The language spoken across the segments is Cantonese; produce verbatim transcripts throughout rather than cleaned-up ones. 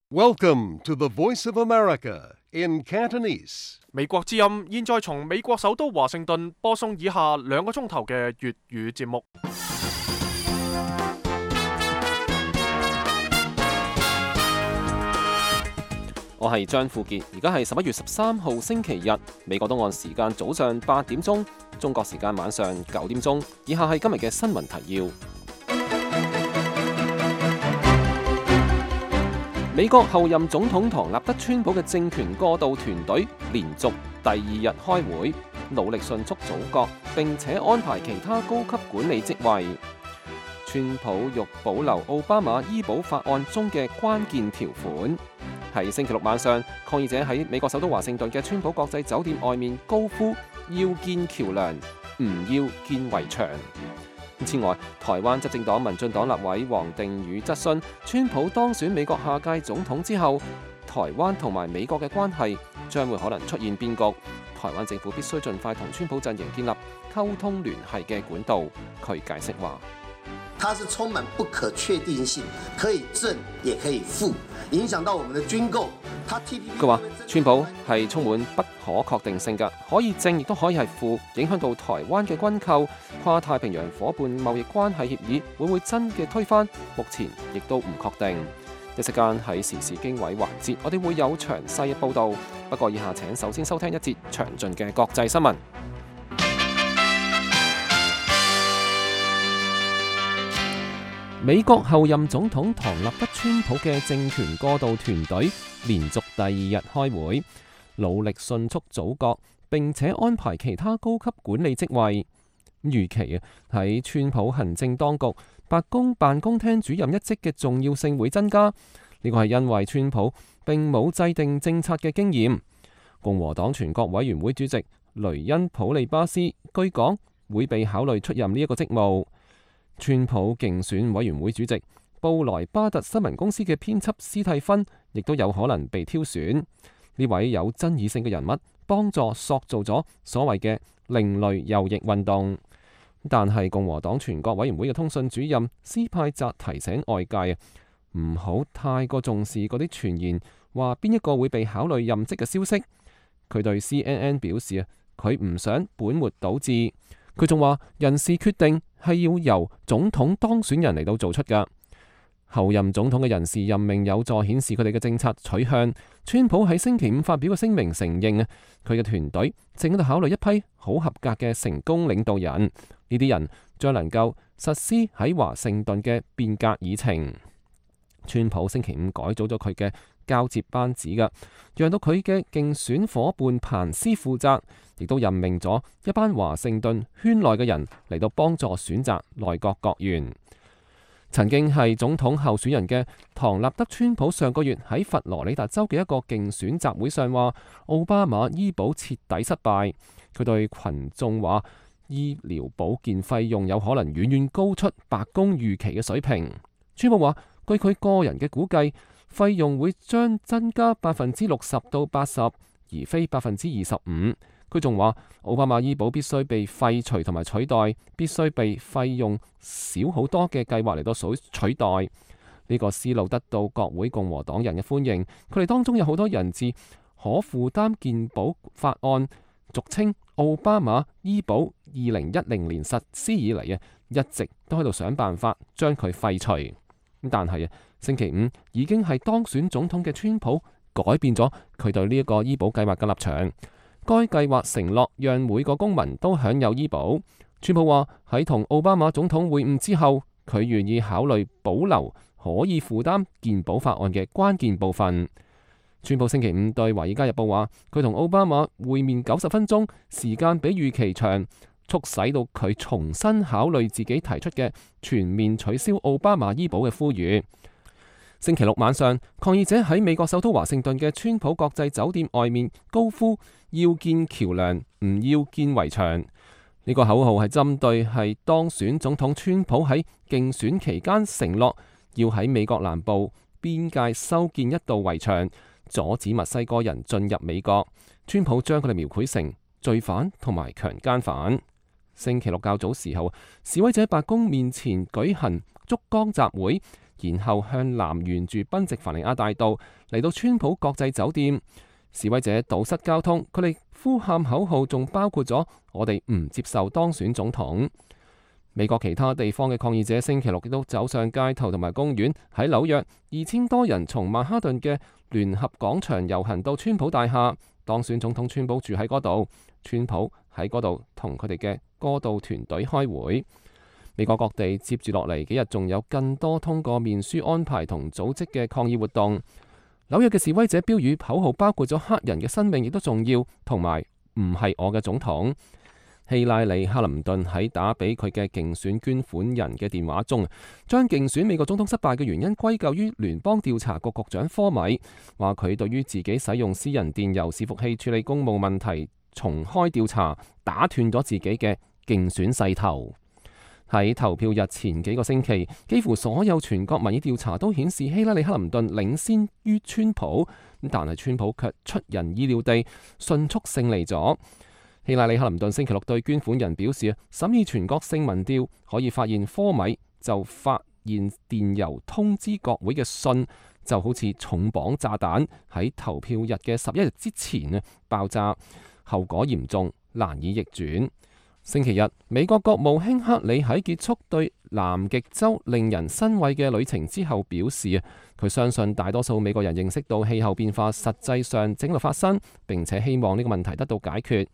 Welcome to the Voice of America in Cantonese. 美國之音現在從美國首都華盛頓播送以下兩個鐘頭嘅粵語節目。我係張富傑，而家係十一月十三號星期日，美國東岸時間早上八點鐘，中國時間晚上九點鐘。以下係今日嘅新聞提要。美國後任總統唐納德·川普嘅政權過渡團隊連續第二日開會，努力迅速組閣，並且安排其他高級管理職位。川普欲保留奧巴馬醫保法案中嘅關鍵條款。喺星期六晚上，抗議者喺美國首都華盛頓嘅川普國際酒店外面高呼要建橋梁，唔要建圍牆。此外，台灣執政黨民進黨立委黃定宇質詢川普當選美國下屆總統之後，台灣同埋美國嘅關係將會可能出現變局。台灣政府必須盡快同川普陣營建立溝通聯繫嘅管道。佢解釋話：它是充滿不可確定性，可以正也可以負，影響到我們的軍購。佢話川普係充滿不可確定性嘅，可以正亦都可以係負，影響到台灣嘅軍購。跨太平洋夥伴貿易關係協議會唔會真嘅推翻？目前亦都唔確定。一時間喺時事經緯環節，我哋會有詳細嘅報導。不過以下請首先收聽一節詳盡嘅國際新聞。美國後任總統唐納德·川普嘅政權過渡團隊連續第二日開會，努力迅速組閣，並且安排其他高級管理職位。預期喺川普行政當局白宮辦公廳主任一職嘅重要性會增加。呢個係因為川普並冇制定政策嘅經驗。共和黨全國委員會主席雷恩·普利巴斯據講會被考慮出任呢一個職務。川普競選委員會主席布萊巴特新聞公司嘅編輯斯蒂芬亦都有可能被挑選。呢位有爭議性嘅人物幫助塑造咗所謂嘅另類右翼運動。但係共和黨全國委員會嘅通訊主任斯派澤提醒外界啊，唔好太過重視嗰啲傳言話邊一個會被考慮任職嘅消息。佢對 C N N 表示啊，佢唔想本末倒置。佢仲話人事決定係要由總統當選人嚟到做出㗎。後任總統嘅人事任命有助顯示佢哋嘅政策取向。川普喺星期五發表嘅聲明承認啊，佢嘅團隊正喺度考慮一批好合格嘅成功領導人，呢啲人將能夠實施喺華盛頓嘅變革議程。川普星期五改組咗佢嘅交接班子㗎，讓到佢嘅競選夥伴彭斯負責，亦都任命咗一班華盛頓圈內嘅人嚟到幫助選擇內閣閣員。曾經係總統候選人嘅唐納德·川普上個月喺佛羅里達州嘅一個競選集會上話，奧巴馬醫保徹底失敗。佢對群眾話，醫療保健費用有可能遠遠高出白宮預期嘅水平。川普話，據佢個人嘅估計，費用會將增加百分之六十到八十，而非百分之二十五。佢仲話，奧巴馬醫保必須被廢除同埋取代，必須被費用少好多嘅計劃嚟到取代。呢、這個思路得到國會共和黨人嘅歡迎，佢哋當中有好多人自可負擔健保法案，俗稱奧巴馬醫保二零一零年實施以嚟啊，一直都喺度想辦法將佢廢除。但係啊，星期五已經係當選總統嘅川普改變咗佢對呢一個醫保計劃嘅立場。該計劃承諾讓每個公民都享有醫保。川普話喺同奧巴馬總統會晤之後，佢願意考慮保留可以負擔健保法案嘅關鍵部分。川普星期五對《華爾街日報》話，佢同奧巴馬會面九十分鐘，時間比預期長，促使到佢重新考慮自己提出嘅全面取消奧巴馬醫保嘅呼籲。星期六晚上，抗議者喺美國首都華盛頓嘅川普國際酒店外面高呼要建橋梁，唔要建圍牆。呢個口號係針對係當選總統川普喺競選期間承諾要喺美國南部邊界修建一道圍牆，阻止墨西哥人進入美國。川普將佢哋描繪成罪犯同埋強姦犯。星期六較早時候，示威者喺白宮面前舉行燭光集會，然後向南沿住賓夕凡尼亞大道嚟到川普國際酒店。示威者堵塞交通，佢哋呼喊口號，仲包括咗我哋唔接受當選總統。美國其他地方嘅抗議者星期六亦都走上街頭同埋公園。喺紐約，二千多人從曼哈頓嘅聯合廣場遊行到川普大廈。當選總統川普住喺嗰度，川普喺嗰度同佢哋嘅過渡團隊開會。美國各地接住落嚟幾日仲有更多通過面書安排同組織嘅抗議活動。紐約嘅示威者標語口號包括咗黑人嘅生命亦都重要，同埋唔係我嘅總統。希拉里·克林頓喺打俾佢嘅競選捐款人嘅電話中，將競選美國總統失敗嘅原因歸咎於聯邦調查局局長科米，話佢對於自己使用私人電郵伺服器處理公務問題重開調查，打斷咗自己嘅競選勢頭。喺投票日前幾個星期，幾乎所有全國民意調查都顯示希拉里·克林頓領先於川普，但係川普卻出人意料地迅速勝利咗。希拉里·克林頓星期六對捐款人表示，審議全國性民調可以發現科米就發現電郵通知國會嘅信就好似重磅炸彈喺投票日嘅十一日之前啊爆炸，後果嚴重，難以逆轉。星期日，美國國務卿克里喺結束對南極洲令人欣慰嘅旅程之後表示啊，佢相信大多數美國人認識到氣候變化實際上正喺發生，並且希望呢個問題得到解決。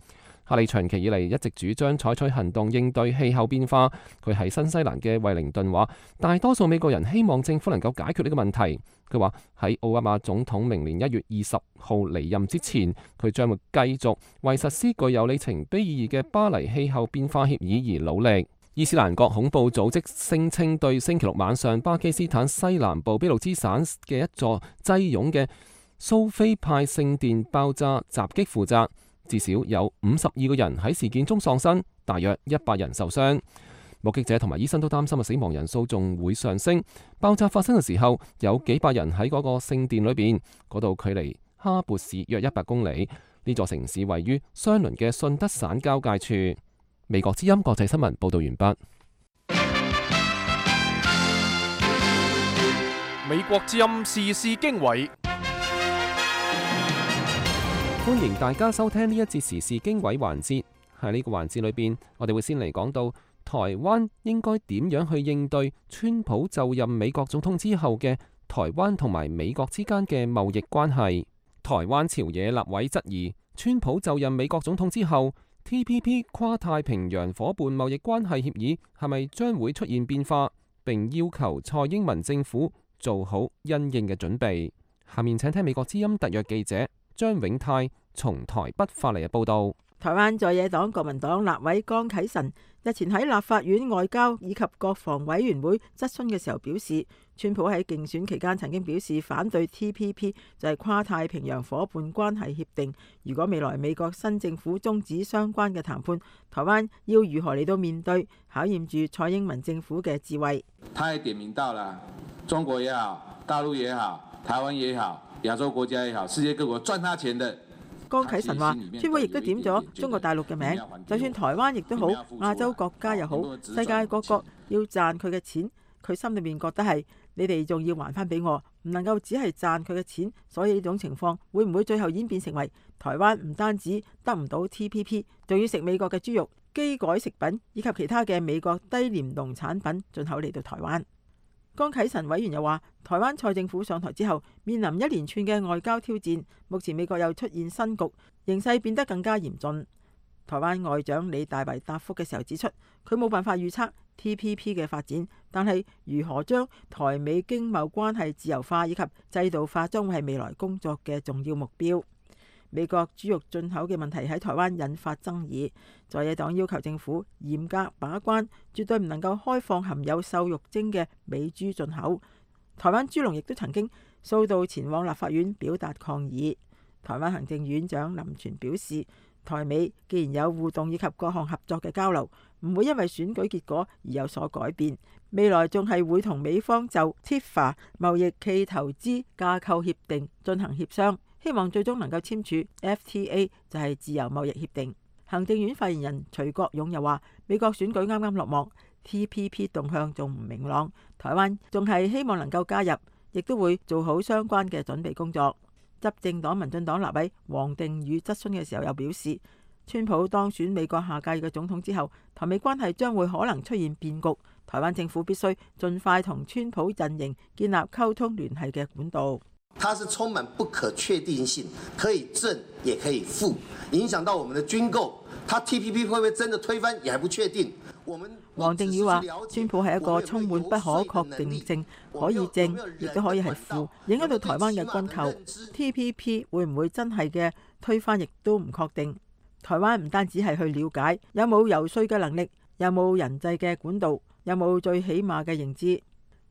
克里長期以嚟一直主張採取行動應對氣候變化。佢喺新西蘭嘅惠靈頓話，大多數美國人希望政府能夠解決呢個問題。佢話喺奧巴馬總統明年一月二十號離任之前，佢將會繼續為實施具有里程碑意義嘅巴黎氣候變化協議而努力。伊斯蘭國恐怖組織聲稱對星期六晚上巴基斯坦西南部俾路支省嘅一座擠擁嘅蘇菲派聖殿爆炸襲擊負責。至少有五十二個人喺事件中喪生，大約一百人受傷。目擊者同埋醫生都擔心嘅死亡人數仲會上升。爆炸發生嘅時候，有幾百人喺嗰個聖殿裏邊，嗰度距離哈勃市約一百公里。呢座城市位於相鄰嘅信德省交界處。美國之音國際新聞報道完畢。美國之音時事經緯。歡迎大家收聽呢一節時事經緯環節。喺呢個環節裏邊，我哋會先嚟講到台灣應該點樣去應對川普就任美國總統之後嘅台灣同埋美國之間嘅貿易關係。台灣朝野立委質疑，川普就任美國總統之後 T P P 跨太平洋夥伴貿易關係協議係咪將會出現變化，並要求蔡英文政府做好因應嘅準備。下面請聽美國之音特約記者張永泰從台北發嚟嘅報道。台灣在野黨國民黨立委江啟臣日前喺立法院外交以及國防委員會質詢嘅時候表示，川普喺競選期間曾經表示反對 T P P， 就係跨太平洋夥伴關係協定。如果未來美國新政府終止相關嘅談判，台灣要如何嚟到面對，考驗住蔡英文政府嘅智慧。他也點名到了中國也好，大陸也好，台灣也好，亞洲國家也好，世界各國賺他錢的。江啟臣話，川普亦都點咗中國大陸嘅名，就算台灣亦都好，亞洲國家又好，世界各國要賺佢嘅錢，佢心裏面覺得係你哋仲要還翻俾我，唔能夠只係賺佢嘅錢。所以呢種情況會唔會最後演變成為台灣唔單止得唔到 T P P， 仲要食美國嘅豬肉、基改食品以及其他嘅美國低廉農產品進口嚟到台灣？江啟臣委員又話，台灣蔡政府上台之後，面臨一連串嘅外交挑戰，目前美國又出現新局，形勢變得更加嚴峻。台灣外長李大維答覆嘅時候指出，佢冇辦法預測 T P P 嘅發展，但係如何將台美經貿關係自由化以及制度化，將會係未來工作嘅重要目標。美國豬肉進口嘅問題喺台灣引發爭議，在野黨要求政府嚴格把關，絕對唔能夠開放含有瘦肉精嘅美豬進口。台灣豬農亦都曾經數度前往立法院表達抗議。台灣行政院長林全表示，台美既然有互動以及各項合作嘅交流，唔會因為選舉結果而有所改變，未來仲係會同美方就 T I F A 貿易暨投資架構協定進行協商，希望最終能夠簽署 F T A， 就係自由貿易協定。行政院發言人徐國勇又話，美國選舉啱啱落幕， T P P 動向仲唔明朗，台灣仲係希望能夠加入，亦都會做好相關嘅準備工作。執政黨民進黨立委黃定宇質詢嘅時候又表示，川普當選美國下屆嘅總統之後，台美關係將會可能出現變局，台灣政府必須盡快同川普陣營建立溝通聯繫嘅管道。它是充滿不可確定性，可以正也可以負，影響到我們的軍購。它 T P P 會不會真的推翻，也還不確定。我們黃定宇話，川普係一個充滿不可確定性，可以正亦都可以係負，影響到台灣嘅軍購。T P P 會唔會真係嘅推翻，亦都唔確定。台灣唔單止係去了解有冇游說嘅能力，有冇人際嘅管道，有冇最起碼嘅認知。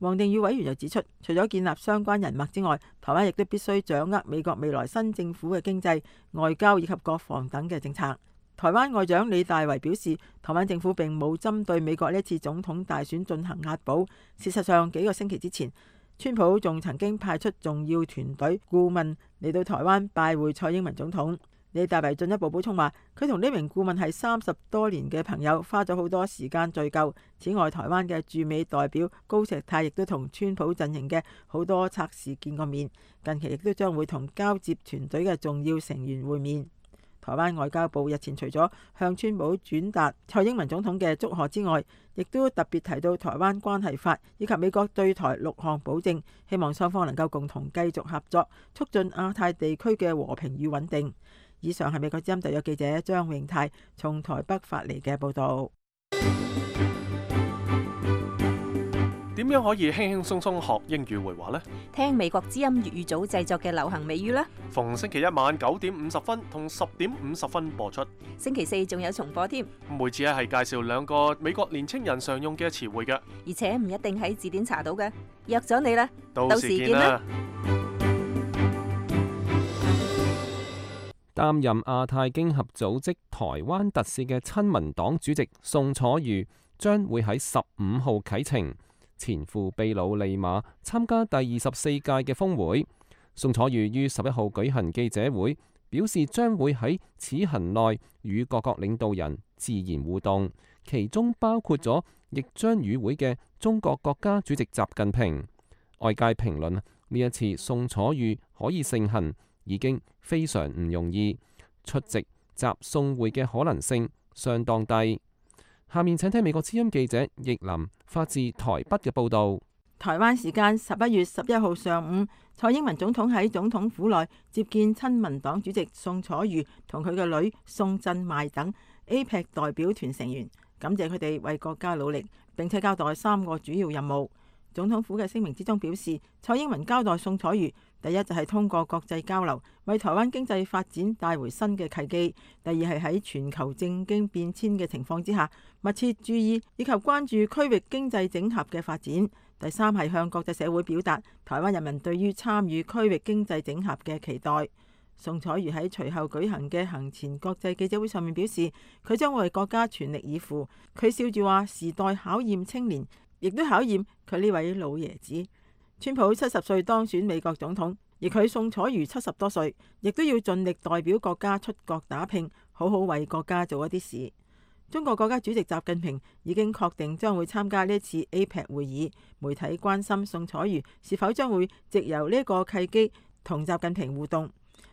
黃定宇委員又指出，除咗建立相關人脈之外，台灣亦都必須掌握美國未來新政府嘅經濟、外交以及國防等嘅政策。台灣外長李大維表示，台灣政府並冇針對美國呢次總統大選進行押寶。事實上，幾個星期之前，川普仲曾經派出重要團隊顧問嚟到台灣拜會蔡英文總統。李大維進一步補充話，佢同呢名顧問係三十多年嘅朋友，花咗好多時間聚舊。此外，台灣嘅駐美代表高石泰亦都同川普陣營嘅好多策士見過面，近期亦都將會同交接團隊嘅重要成員會面。台灣外交部日前除咗向川普轉達蔡英文總統嘅祝賀之外，亦都特別提到台灣關係法以及美國對台六項保證，希望雙方能夠共同繼續合作，促進亞太地區嘅和平與穩定。以上係美國之音特約記者張永泰從台北發嚟嘅報導。點樣可以輕輕鬆鬆學英語會話呢？聽美國之音粵語組製作嘅流行美語啦。逢星期一晚九點五十分同十點五十分播出。星期四仲有重播添。每次係介紹兩個美國年青人常用嘅詞彙嘅，而且唔一定喺字典查到嘅。約咗你啦，到時見啦。擔任亞太經合組織台灣特使嘅親民黨主席宋楚瑜將會喺十五號啟程前赴秘魯利馬參加第二十四屆嘅峰會。宋楚瑜於十一號舉行記者會，表示將會喺此行內與各國領導人自然互動，其中包括咗亦將與會嘅中國國家主席習近平。外界評論呢一次宋楚瑜可以盛行已經非常唔容易，出席習宋會嘅可能性相當低。下面請聽美國之音記者易林發自台北嘅報導。台灣時間十一月十一號上午，蔡英文總統喺總統府內接見親民黨主席宋楚瑜同佢嘅女宋振邁等 A P E C 代表團成員，感謝佢哋為國家努力，並且交代三個主要任務。總統府嘅聲明之中表示，蔡英文交代宋楚瑜，第一就係通過國際交流，為台灣經濟發展帶回新嘅契機；第二係喺全球政經變遷嘅情況之下，密切注意以及關注區域經濟整合嘅發展；第三係向國際社會表達台灣人民對於參與區域經濟整合嘅期待。宋楚瑜喺隨後舉行嘅行前國際記者會上面表示，佢將為國家全力以赴。佢笑住話：時代考驗青年，亦都考驗佢呢位老爺子。川普七十歲當選美國總統，而佢宋楚瑜七十多歲，亦都要盡力代表國家出國打拼，好好為國家做一啲事。中國國家主席習近平已經確定將會參加呢一次 A P E C 會議。媒體關心宋楚瑜是否將會藉由呢個契機同習近平互動。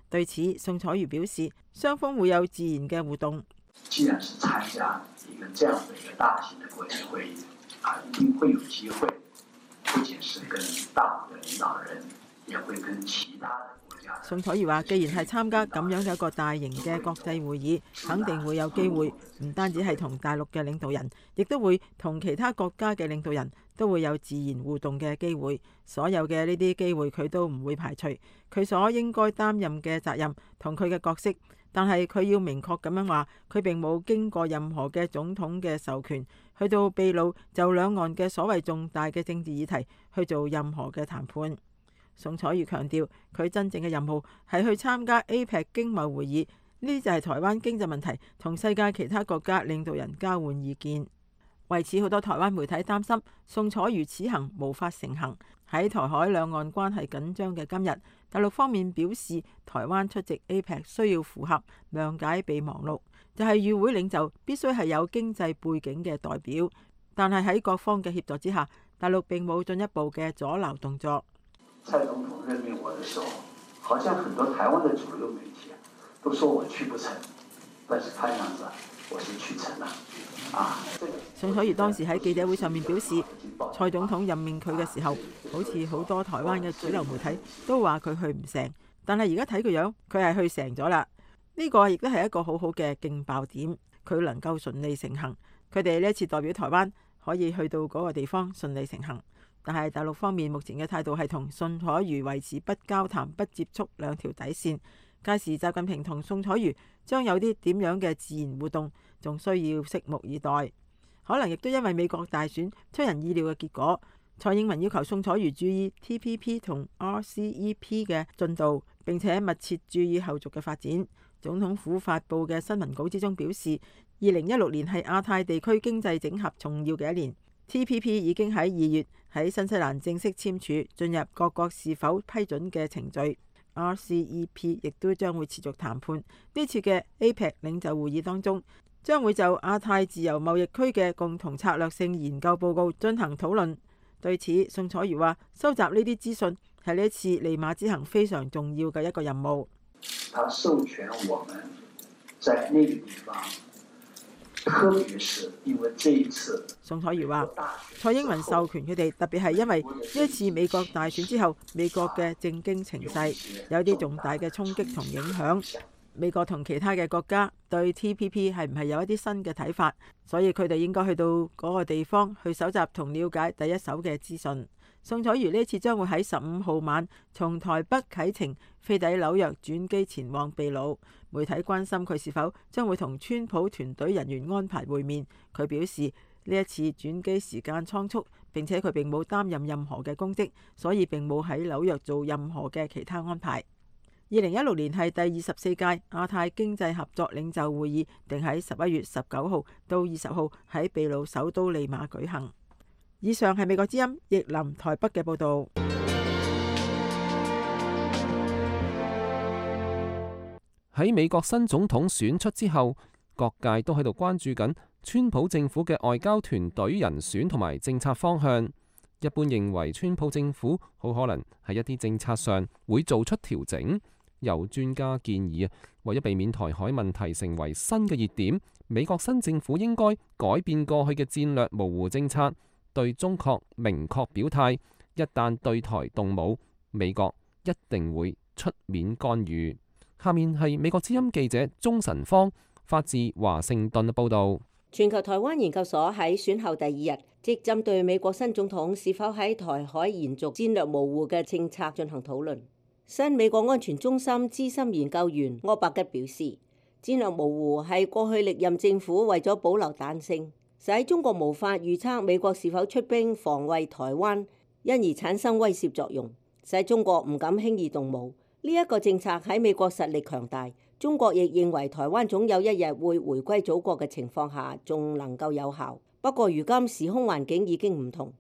對此，宋楚瑜表示，雙方會有自然嘅互動。既然是參加一個這樣的一個大型的國際會議，啊，一定會有機會，不僅是跟大陸的領導人，也會跟其他的國家。宋楚瑜話，既然係參加咁樣嘅一個大型嘅國際會議，肯定會有機會，唔單止係同大陸嘅領導人，亦都會同其他國家嘅領導人都會有自然互動嘅機會。所有嘅呢啲機會，佢都唔會排除。佢所應該擔任嘅責任同佢嘅角色。但係佢要明確咁樣話，佢並冇經過任何嘅總統嘅授權，去到秘魯就兩岸嘅所謂重大嘅政治議題去做任何嘅談判。宋楚瑜強調，佢真正嘅任務係去參加 A P E C 經貿會議，呢啲就係台灣經濟問題同世界其他國家領導人交換意見。為此，好多台灣媒體擔心宋楚瑜此行無法成行。喺台海兩岸關係緊張嘅今日，大陸方面表示，台灣出席 A P E C 需要符合諒解備忘錄，就係與會領袖必須係有經濟背景嘅代表。但係喺各方嘅協助之下，大陸並冇進一步嘅阻撓動作。蔡總統任命我的時候，好像很多台灣的主流媒體都說我去不成，但是看樣子我是去成了。啊，宋楚瑜當時喺記者會上面表示，蔡總統任命佢嘅時候，好似好多台灣嘅主流媒體都話佢去唔成，但係而家睇個樣，佢係去成咗啦。呢個亦都係一個好好嘅勁爆點，佢能夠順利成行。佢哋呢一次代表台灣可以去到嗰個地方順利成行，但係大陸方面目前嘅態度係同宋楚瑜維持不交談、不接觸兩條底線。屆時習近平同宋楚瑜將有啲點樣嘅自然互動，仲需要拭目以待。可能亦都因為美國大選出人意料嘅結果，蔡英文要求宋楚瑜注意 T P P 同 R C E P 嘅進度，並且密切注意後續嘅發展。總統府發布嘅新聞稿之中表示，二零一六年係亞太地區經濟整合重要嘅一年。T P P 已經喺二月喺新西蘭正式簽署，進入各國是否批准嘅程序。R C E P 亦都將會持續談判。呢次嘅 A P E C 領袖會議當中，將會就亞太自由貿易區嘅共同策略性研究報告進行討論。對此，宋楚瑜話：收集呢啲資訊係呢一次利馬之行非常重要嘅一個任務。他授權我們在那個地方，特別是因為這一次，宋楚瑜話：蔡英文授權佢哋，特別係因為呢一次美國大選之後，美國嘅政經情勢有啲重大嘅衝擊同影響。美國同其他嘅國家對 T P P 係唔係有一啲新嘅睇法，所以佢哋應該去到嗰個地方去搜集同了解第一手嘅資訊。宋楚瑜呢次將會喺十五號晚從台北啟程飛抵紐約，轉機前往秘魯。媒體關心佢是否將會同川普團隊人員安排會面，佢表示呢一次轉機時間倉促，並且佢並冇擔任任何嘅公職，所以並冇喺紐約做任何嘅其他安排。二零一六年係第二十四屆亞太經濟合作領袖會議，定喺十一月十九號到二十號喺秘魯首都利馬舉行。以上係美國之音譯林台北嘅報導。喺美國新總統選出之後，各界都喺度關注緊川普政府嘅外交團隊人選同埋政策方向。一般認為，川普政府好可能喺一啲政策上會做出調整。有專家建議啊，為咗避免台海問題成為新嘅熱點，美國新政府應該改變過去嘅戰略模糊政策，對中國明確表態，一旦對台動武，美國一定會出面干預。下面係美國之音記者鍾晨芳發自華盛頓嘅報導。全球台灣研究所喺選後第二日，即針對美國新總統是否喺台海延續戰略模糊嘅政策進行討論。新美國安全中心資深研究員柯伯吉表示，戰略模糊係過去歷任政府為咗保留彈性，使中國無法預測美國是否出兵防衛台灣，因而產生威懾作用，使中國唔敢輕易動武。呢、這、一個政策喺美國實力強大，中國亦認為台灣總有一日會回歸祖國嘅情況下，仲能夠有效。不過如今時空環境已經唔同。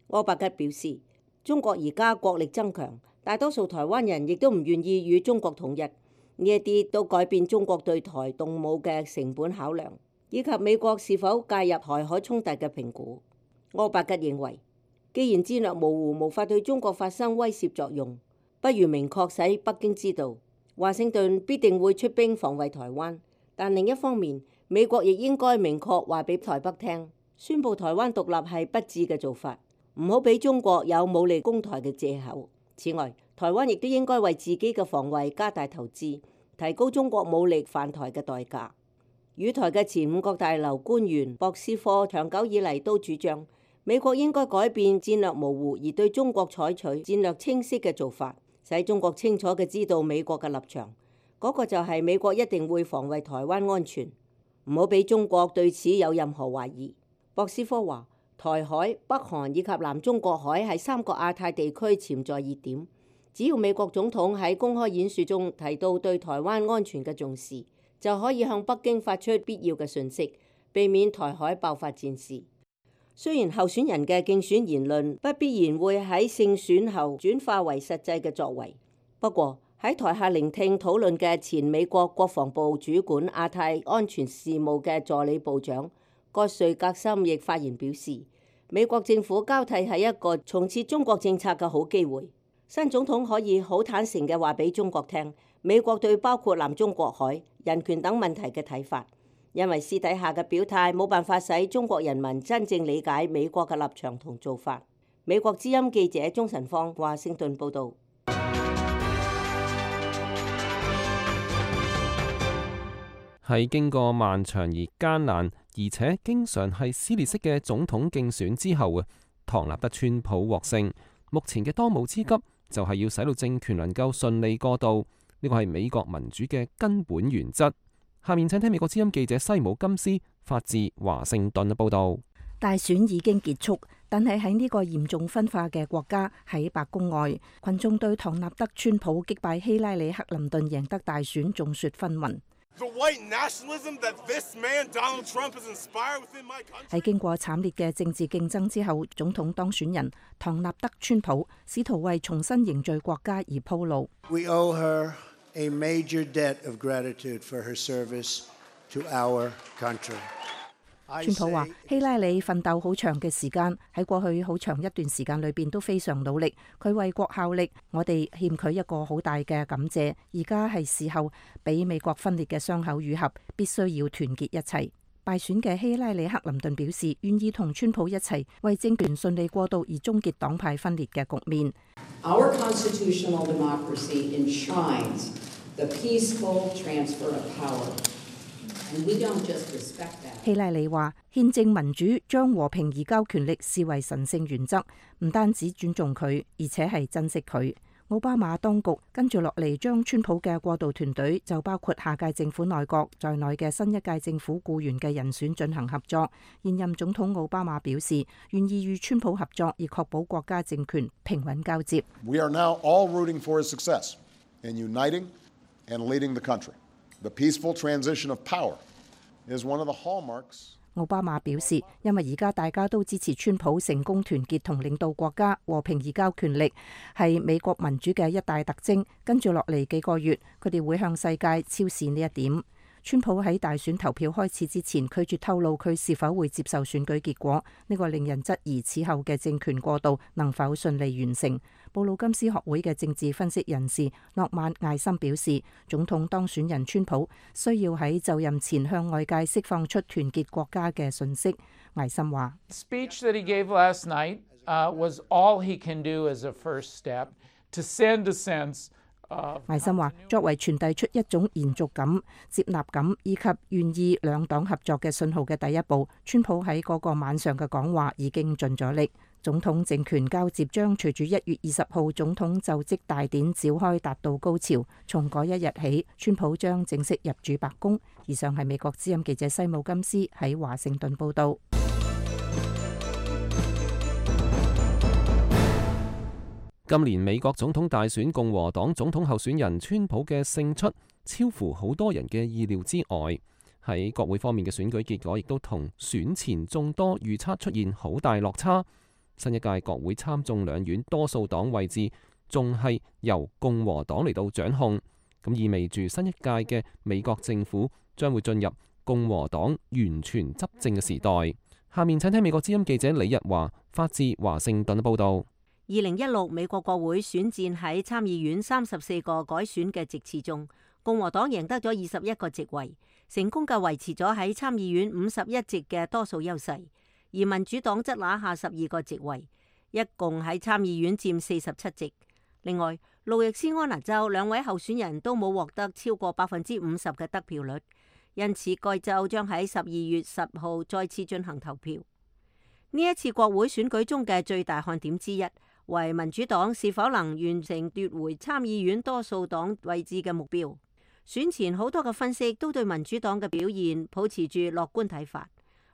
柯伯吉表示，中國而家國力增強，大多數台灣人亦都唔願意與中國統一，呢一啲都改變中國對台動武嘅成本考量，以及美國是否介入台海衝突嘅評估。柯伯吉認為，既然戰略模糊無法對中國發生威懾作用，不如明確使北京知道，華盛頓必定會出兵防衛台灣。但另一方面，美國亦應該明確話俾台北聽，宣布台灣獨立係不智嘅做法，唔好俾中國有武力攻台嘅藉口。此外，台灣亦都應該為自己嘅防衛加大投資，提高中國武力犯台嘅代價。與台嘅前五角大樓官員博斯科長久以嚟都主張，美國應該改變戰略模糊而對中國採取戰略清晰嘅做法，使中國清楚嘅知道美國嘅立場。嗰、那個就係美國一定會防衛台灣安全，唔好俾中國對此有任何懷疑。博斯科話，台海、北韓以及南中國海係三個亞太地區潛在熱點，只要美國總統喺公開演說中提到對台灣安全嘅重視，就可以向北京發出必要嘅訊息，避免台海爆發戰事。雖然候選人嘅競選言論不必然會喺勝選後轉化為實際嘅作為，不過喺台下聆聽討論嘅前美國國防部主管亞太安全事務嘅助理部長葛瑞格森亦發言表示，美國政府交替係一個重設中國政策嘅好機會。新總統可以好坦誠嘅話俾中國聽，美國對包括南中國海、人權等問題嘅睇法，因為私底下嘅表態冇辦法使中國人民真正理解美國嘅立場同做法。美國之音記者鍾晨芳華盛頓報導。喺經過漫長而艱難，而且經常係撕裂式嘅總統競選之後啊，唐納德川普獲勝。目前嘅當務之急就係要使到政權能夠順利過渡，呢個係美國民主嘅根本原則。下面請聽美國之音記者西姆金斯發自華盛頓嘅報導。大選已經結束，但係喺呢個嚴重分化嘅國家，喺白宮外，群眾對唐納德川普擊敗希拉里克林頓贏得大選眾說紛紜。喺經過慘烈嘅政治競爭之後，總統當選人唐納德川普試圖為重新凝聚國家而鋪路。We owe her a major debt of gratitude for her service to our country. 川普話：希拉里奮鬥好長嘅時間，喺過去好長一段時間裏邊都非常努力，佢為國效力，我哋欠佢一個好大嘅感謝。而家係時候俾美國分裂嘅傷口愈合，必須要團結一齊。敗選嘅希拉里克林頓表示願意同川普一齊為政權順利過渡而終結黨派分裂嘅局面。Our constitutional democracy enshrines the peaceful transfer of power. 希拉里話：憲政民主將和平移交權力視為神聖原則，唔單止尊重佢，而且係珍惜佢。奧巴馬當局跟住落嚟將川普嘅過渡團隊，就包括下屆政府內閣在內嘅新一屆政府僱員嘅人選進行合作。現任總統奧巴馬表示願意與川普合作，以確保國家政權平穩交接。We are now all rooting for his success in uniting and leading the country. The peaceful transition of power is one of the hallmarks. 奧巴馬表示，因為而家大家都支持川普成功團結同領導國家，和平移交權力係美國民主嘅一大特徵。跟住落嚟幾個月，佢哋會向世界昭示呢一點。川普喺大選投票開始之前拒絕透露佢是否會接受選舉結果，呢個令人質疑此後嘅政權過渡能否順利完成。布魯金斯學會嘅政治分析人士諾曼艾森表示，總統當選人川普需要喺就任前向外界釋放出團結國家嘅訊息。艾森話：Speech that he gave last night was all he can do as a first step to send a sense. 艾森話：作為傳遞出一種延續感、接納感以及願意兩黨合作嘅信號嘅第一步，川普喺嗰個晚上嘅講話已經盡咗力。總統政權交接將隨住一月二十號總統就職大典召開達到高潮，從嗰一日起，川普將正式入主白宮。以上係美國之音記者西姆金斯喺華盛頓報道。今年美國總統大選，共和黨總統候選人川普嘅勝出超乎好多人嘅意料之外。喺國會方面嘅選舉結果亦都同選前眾多預測出現好大落差。新一屆國會參眾兩院多數黨位置仲係由共和黨嚟到掌控，咁意味住新一屆嘅美國政府將會進入共和黨完全執政嘅時代。下面請聽美國之音記者李日華發自華盛頓嘅報道。二零一六美國國會選戰喺參議院三十四個改選嘅席次中，共和黨贏得咗二十一個席位，成功嘅維持咗喺參議院五十一席嘅多數優勢。而民主黨則拿下十二個席位，一共喺參議院佔四十七席。另外，路易斯安那州兩位候選人都冇獲得超過百分之五十嘅得票率，因此該州將喺十二月十號再次進行投票。呢一次國會選舉中嘅最大看點之一，為民主黨是否能完成奪回參議院多數黨位置嘅目標。選前好多嘅分析都對民主黨嘅表現抱持住樂觀睇法。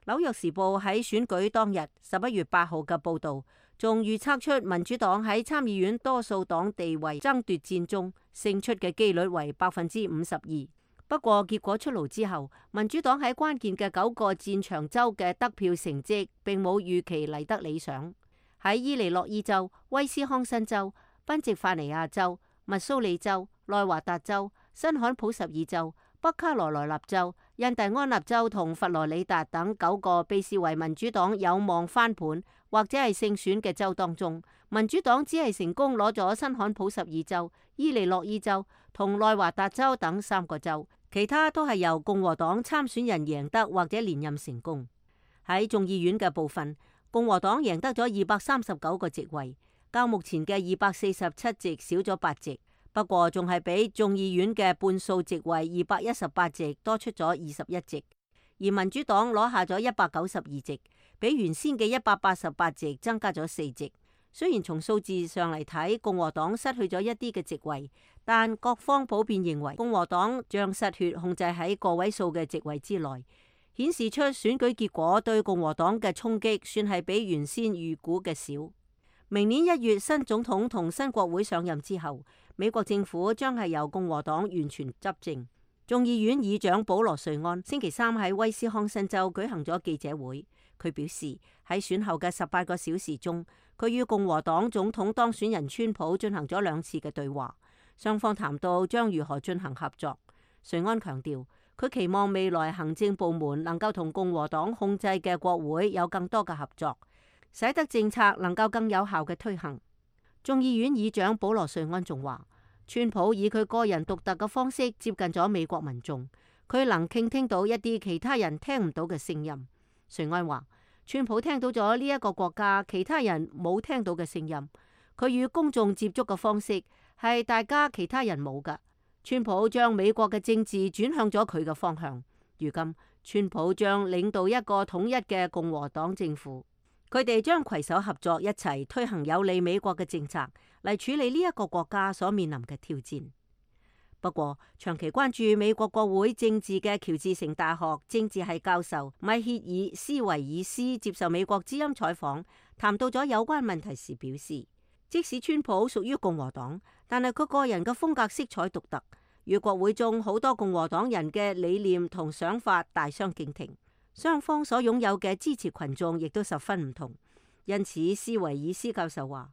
紐約時報喺選舉當日十一月八號嘅報導，仲預測出民主黨喺參議院多數黨地位爭奪戰中勝出嘅機率為百分之五十二。不過結果出爐之後，民主黨喺關鍵嘅九個戰場州嘅得票成績並冇預期嚟得理想。喺伊利諾伊州、威斯康辛州、賓夕法尼亞州、密蘇里州、內華達州、新罕普什爾州、北卡羅來納州、印第安納州同佛羅里達等九個被視為民主黨有望翻盤或者係勝選嘅州當中，民主黨只係成功攞咗新罕布什爾州、伊利諾伊州同內華達州等三個州，其他都係由共和黨參選人贏得或者連任成功。喺眾議院嘅部分，共和黨贏得咗二百三十九個席位，較目前嘅二百四十七席少咗八席，不過仲係比眾議院嘅半數席位二百一十八席多出咗二十一席，而民主黨攞下咗一百九十二席，比原先嘅一百八十八席增加咗四席。雖然從數字上嚟睇，共和黨失去咗一啲嘅席位，但各方普遍認為共和黨將失血控制喺個位數嘅席位之內，顯示出選舉結果對共和黨嘅衝擊算係比原先預估嘅少。明年一月新總統同新國會上任之後，美國政府將係由共和黨完全執政。眾議院議長保羅瑞安星期三喺威斯康辛州舉行咗記者會，佢表示喺選後嘅十八個小時中，佢與共和黨總統當選人川普進行咗兩次嘅對話，雙方談到將如何進行合作。瑞安強調，佢期望未來行政部門能夠同共和黨控制嘅國會有更多嘅合作，使得政策能夠更有效嘅推行。眾議院議長保羅瑞安仲話，川普以佢個人獨特嘅方式接近咗美國民眾，佢能傾聽到一啲其他人聽唔到嘅聲音。瑞安話，川普聽到咗呢一個國家其他人冇聽到嘅聲音，佢與公眾接觸嘅方式係大家其他人冇㗎。川普將美國嘅政治轉向咗佢嘅方向，如今川普將領導一個統一嘅共和黨政府，佢哋將攜手合作，一齊推行有利美國嘅政策嚟處理呢一個國家所面臨嘅挑戰。不過，長期關注美國國會政治嘅喬治城大學政治系教授米歇爾斯維爾斯接受美國之音採訪，談到咗有關問題時表示，即使川普屬於共和黨，但係佢個人嘅風格色彩獨特，與國會中好多共和黨人嘅理念同想法大相徑庭，雙方所擁有嘅支持群眾亦都十分唔同。因此，斯維爾斯教授話，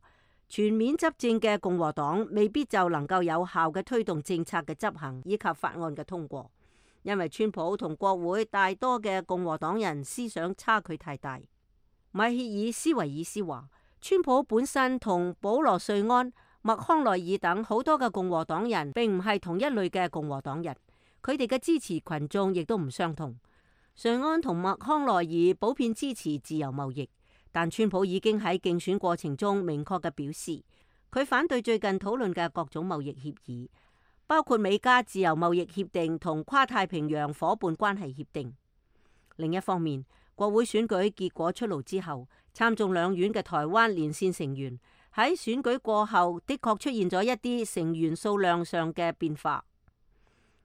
全面執政嘅共和黨未必就能夠有效嘅推動政策嘅執行以及法案嘅通過，因為川普同國會大多嘅共和黨人思想差距太大。米歇爾斯維爾斯話，川普本身同保羅瑞安、麥康奈爾等好多嘅共和黨人並唔係同一類嘅共和黨人，佢哋嘅支持群眾亦都唔相同。瑞安同麥康奈爾普遍支持自由貿易，但川普已經喺競選過程中明確嘅表示，佢反對最近討論嘅各種貿易協議，包括美加自由貿易協定同跨太平洋夥伴關係協定。另一方面，國會選舉結果出爐之後，參眾兩院嘅台灣連線成員喺選舉過後的確出現咗一啲成員數量上嘅變化。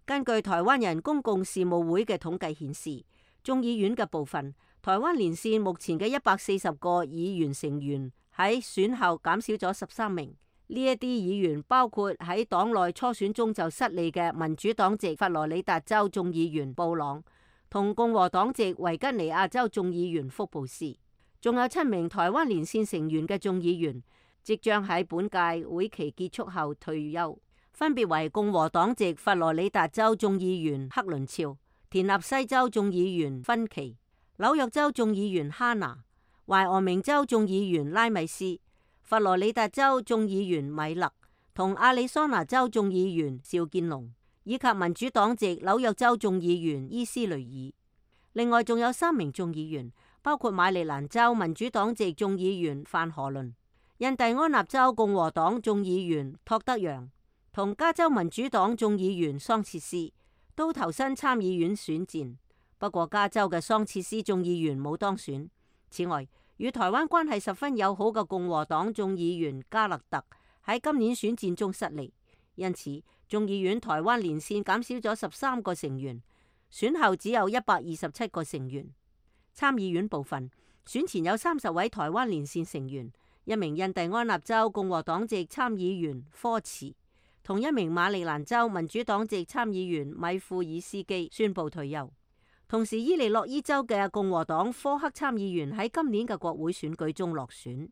根據台灣人公共事務會嘅統計顯示，眾議院嘅部分台灣連線目前嘅一百四十個議員成員喺選後減少咗十三名。呢一啲議員包括喺黨內初選中就失利嘅民主黨籍佛羅里達州眾議員布朗，同共和黨籍維吉尼亞州眾議員福布斯，仲有七名台灣連線成員嘅眾議員即將喺本屆會期結束後退休，分別為共和黨籍佛羅里達州眾議員克倫肖、田納西州眾議員芬奇、紐約州眾議員哈拿、懷俄明州眾議員拉米斯、佛羅里達州眾議員米勒同亞利桑那州眾議員邵建龍，以及民主黨籍紐約州眾議員伊斯雷爾。另外仲有三名眾議員，包括馬里蘭州民主黨籍眾議員范荷倫、印第安納州共和黨眾議員托德揚同加州民主黨眾議員桑切斯，都投身參議院選戰。不過加州嘅桑切斯眾議員冇當選。此外，與台灣關係十分友好嘅共和黨眾議員加勒特喺今年選戰中失利，因此眾議院台灣連線減少咗十三個成員，選後只有一百二十七個成員。參議院部分選前有三十位台灣連線成員，一名印第安納州共和黨籍參議員科茨同一名馬里蘭州民主黨籍參議員米庫爾斯基宣布退休。同時，伊利諾伊州嘅共和黨科克參議員喺今年嘅國會選舉中落選，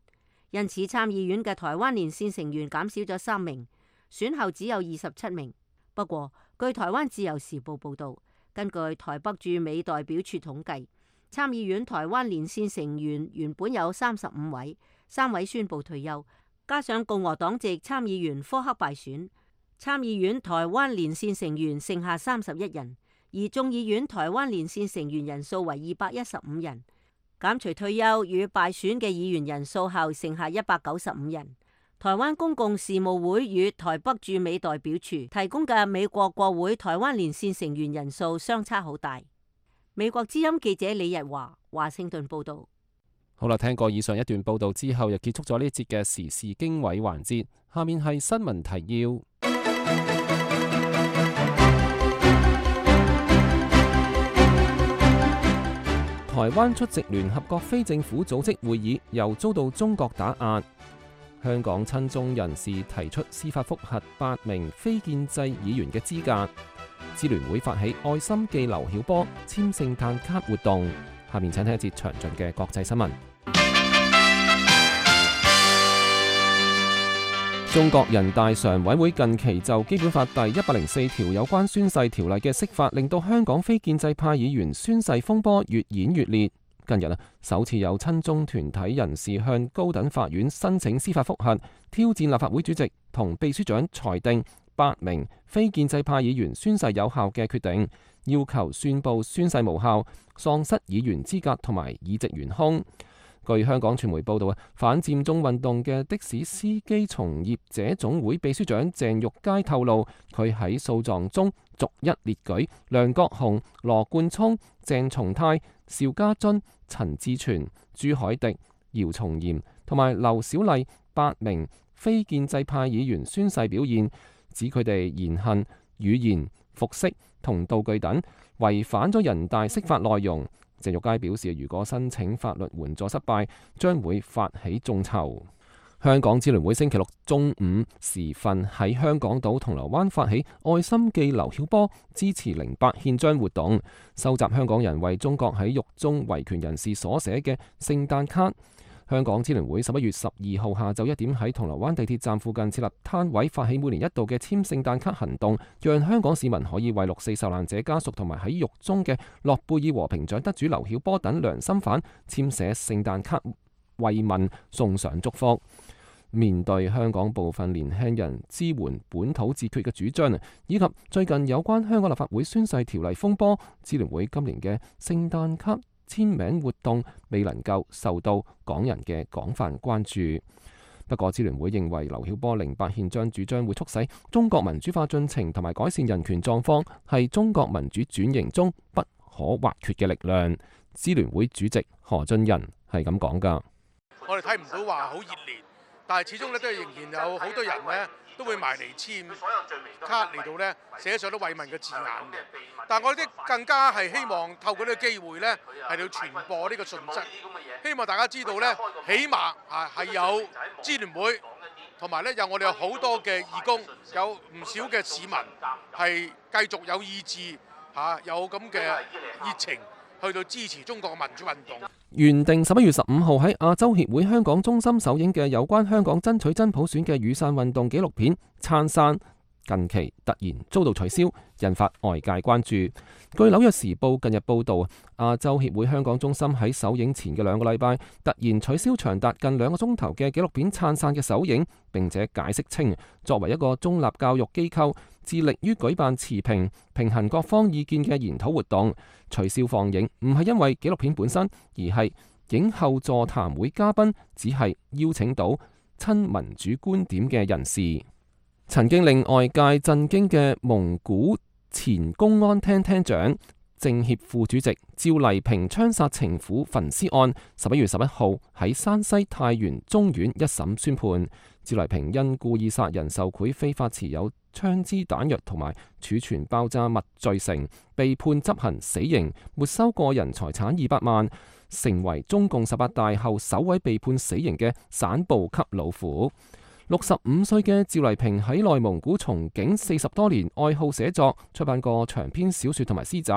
因此參議院嘅台灣連線成員減少咗三名，選後只有二十七名。不過，據台灣自由時報報道，根據台北駐美代表處統計，參議院台灣連線成員原本有三十五位，三位宣布退休，加上共和黨籍參議員科克敗選，參議院台灣連線成員剩下三十一人，而眾議院台灣連線成員人數為二百一十五人。減除退休與敗選嘅議員人數後，剩下一百九十五人。台灣公共事務會與台北駐美代表處提供嘅美國國會台灣連線成員人數相差好大。美國之音記者李日華華盛頓報道。好啦，聽過以上一段報道之後，又結束咗呢節嘅時事經緯環節。下面係新聞提要。台灣出席聯合國非政府組織會議，又遭到中國打壓。香港親中人士提出司法覆核八名非建制議員嘅資格。支聯會發起愛心寄劉曉波簽聖誕卡活動。下面請聽一節詳盡嘅國際新聞。中國人大常委會近期就基本法第一百零四條有關宣誓條例嘅釋法，令到香港非建制派議員宣誓風波越演越烈。近日啊，首次有親中團體人士向高等法院申請司法覆核，挑戰立法會主席同秘書長裁定八名非建制派議員宣誓有效嘅決定，要求宣布宣誓無效，喪失議員資格同埋議席懸空。據香港傳媒報道啊，反佔中運動嘅的，的士司機從業者總會秘書長鄭玉佳透露，佢喺訴狀中逐一列舉梁國雄、羅冠聰、鄭松泰、邵家臻、陳志全、朱凱迪、姚松炎同埋劉小麗八名非建制派議員宣誓表現，指佢哋言行、語言、服飾同道具等違反咗人大釋法內容。鄭玉佳表示，如果申請法律援助失敗，將會發起眾籌。香港支聯會星期六中午時分喺香港島銅鑼灣發起愛心寄劉曉波支持零八憲章活動，收集香港人為中國喺獄中維權人士所寫嘅聖誕卡。香港支聯會十一月十二號下晝一點喺銅鑼灣地鐵站附近設立攤位，發起每年一度嘅簽聖誕卡行動，讓香港市民可以為六四受難者家屬同埋喺獄中嘅諾貝爾和平獎得主劉曉波等良心犯簽寫聖誕卡慰問，送上祝福。面對香港部分年輕人支援本土自決嘅主張，以及最近有關香港立法會宣誓條例風波，支聯會今年嘅聖誕卡簽名活動未能夠受到港人嘅廣泛關注。不過，支聯會認為劉曉波零八憲章主張會促使中國民主化進程同埋改善人權狀況，係中國民主轉型中不可或缺嘅力量。支聯會主席何俊仁係咁講㗎。我哋睇唔到話好熱烈，但係始終咧都係仍然有好多人咧都會埋嚟簽卡嚟到咧寫上啲慰問嘅字眼嘅。但係我哋更加係希望透過呢個機會咧係要傳播呢個訊息，希望大家知道咧，起碼啊係有支聯會，同埋咧有我哋有好多嘅義工，有唔少嘅市民係繼續有意志嚇有咁嘅熱情去到支持中國嘅民主運動。原定十一月十五號喺亞洲協會香港中心首映嘅有關香港爭取真普選嘅雨傘運動紀錄片《燦傘》，近期突然遭到取消，引發外界關注。據紐約時報近日報導，亞洲協會香港中心喺首映前嘅兩個禮拜，突然取消長達近兩個鐘頭嘅紀錄片《燦傘》嘅首映，並且解釋稱，作為一個中立教育機構，致力於舉辦持平、平衡各方意見嘅研討活動，取消放映唔係因為紀錄片本身，而係影後座談會嘉賓只係邀請到親民主觀點嘅人士。曾經令外界震驚嘅蒙古前公安廳廳長、政協副主席趙麗萍槍殺情婦焚屍案，十一月十一號喺山西太原中院一審宣判，趙麗萍因故意殺人受賄、非法持有槍支彈藥同埋儲存爆炸物罪成，被判執行死刑，沒收個人財產二百萬，成為中共十八大後首位被判死刑嘅省部級老虎。六十五歲嘅趙麗萍喺內蒙古從警四十多年，愛好寫作，出版過長篇小說同埋詩集，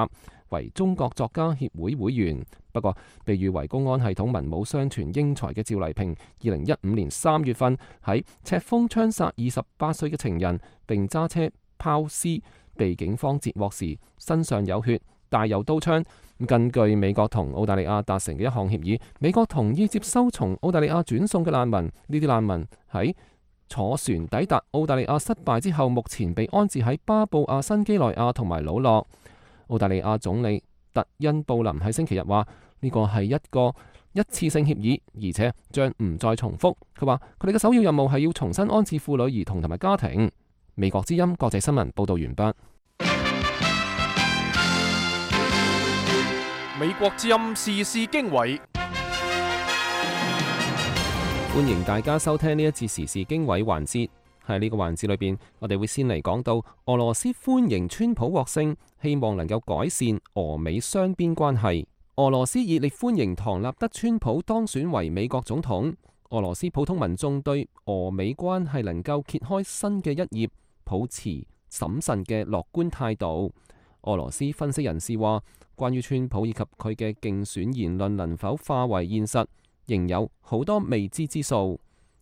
為中國作家協會會員。不過，被譽為公安系統文武雙全英才嘅趙麗萍，二零一五年三月份喺赤峰槍殺二十八歲嘅情人，並揸車拋屍，被警方截獲時身上有血，帶有刀槍。根據美國同澳大利亞達成嘅一項協議，美國同意接收從澳大利亞轉送嘅難民。呢啲難民喺坐船抵達澳大利亞失敗之後，目前被安置喺巴布亞新幾內亞同埋魯諾。澳大利亞總理特恩布林喺星期日話：呢個係一個一次性協議，而且將唔再重複。佢話佢哋嘅首要任務係要重新安置婦女、兒童同埋家庭。美國之音國際新聞報道完畢。美國之音時事經緯，歡迎大家收聽呢一節時事經緯環節。喺呢個環節裏邊，我哋會先嚟講到俄羅斯歡迎川普獲勝，希望能夠改善俄美雙邊關係。俄羅斯熱烈歡迎唐納德川普當選為美國總統。俄羅斯普通民眾對俄美關係能夠揭開新嘅一頁，抱持審慎嘅樂觀態度。俄羅斯分析人士話，關於川普以及佢嘅競選言論能否化為現實，仍有好多未知之數。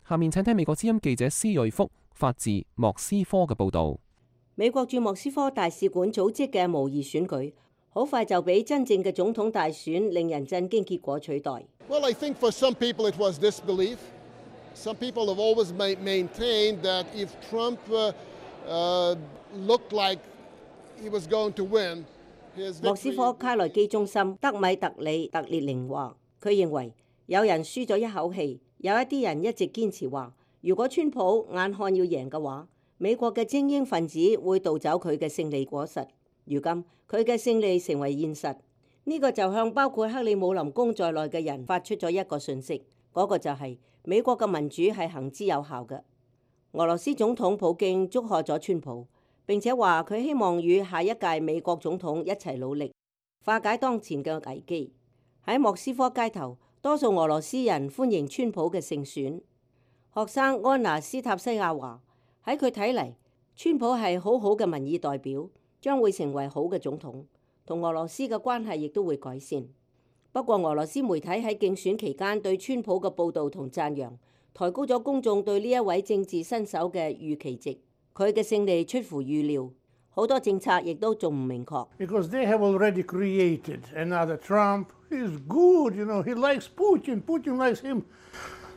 下面請聽美國之音記者施瑞福發自莫斯科嘅報導。美國駐莫斯科大使館組織嘅模擬選舉，好快就俾真正嘅總統大選令人震驚結果取代。Well, I think for some people it was disbelief. Some people have always maintained that if Trump uh, uh, looked like he was going to win, his victory... 莫斯科卡內基中心德米特里特列寧話，佢認為有人輸咗一口氣，有一啲人一直堅持話，如果川普眼看要贏嘅話，美國嘅精英分子會盜走佢嘅勝利果實。如今佢嘅勝利成為現實，呢、這個就向包括克里姆林宮在內嘅人發出咗一個訊息，嗰、那個就係美國嘅民主係行之有效嘅。俄羅斯總統普京祝賀咗川普，並且話佢希望與下一屆美國總統一齊努力，化解當前嘅危機。喺莫斯科街頭，多數俄羅斯人歡迎川普嘅勝選。學生安娜斯塔西亞話：喺佢睇嚟，川普係好好嘅民意代表，將會成為好嘅總統，同俄羅斯嘅關係亦都會改善。不過，俄羅斯媒體喺競選期間對川普嘅報導同讚揚，抬高咗公眾對呢一位政治新手嘅預期值。佢嘅勝利出乎預料，好多政策亦都仲唔明確。Because they have already created another Trump. He's good, you know. He likes Putin. Putin likes him.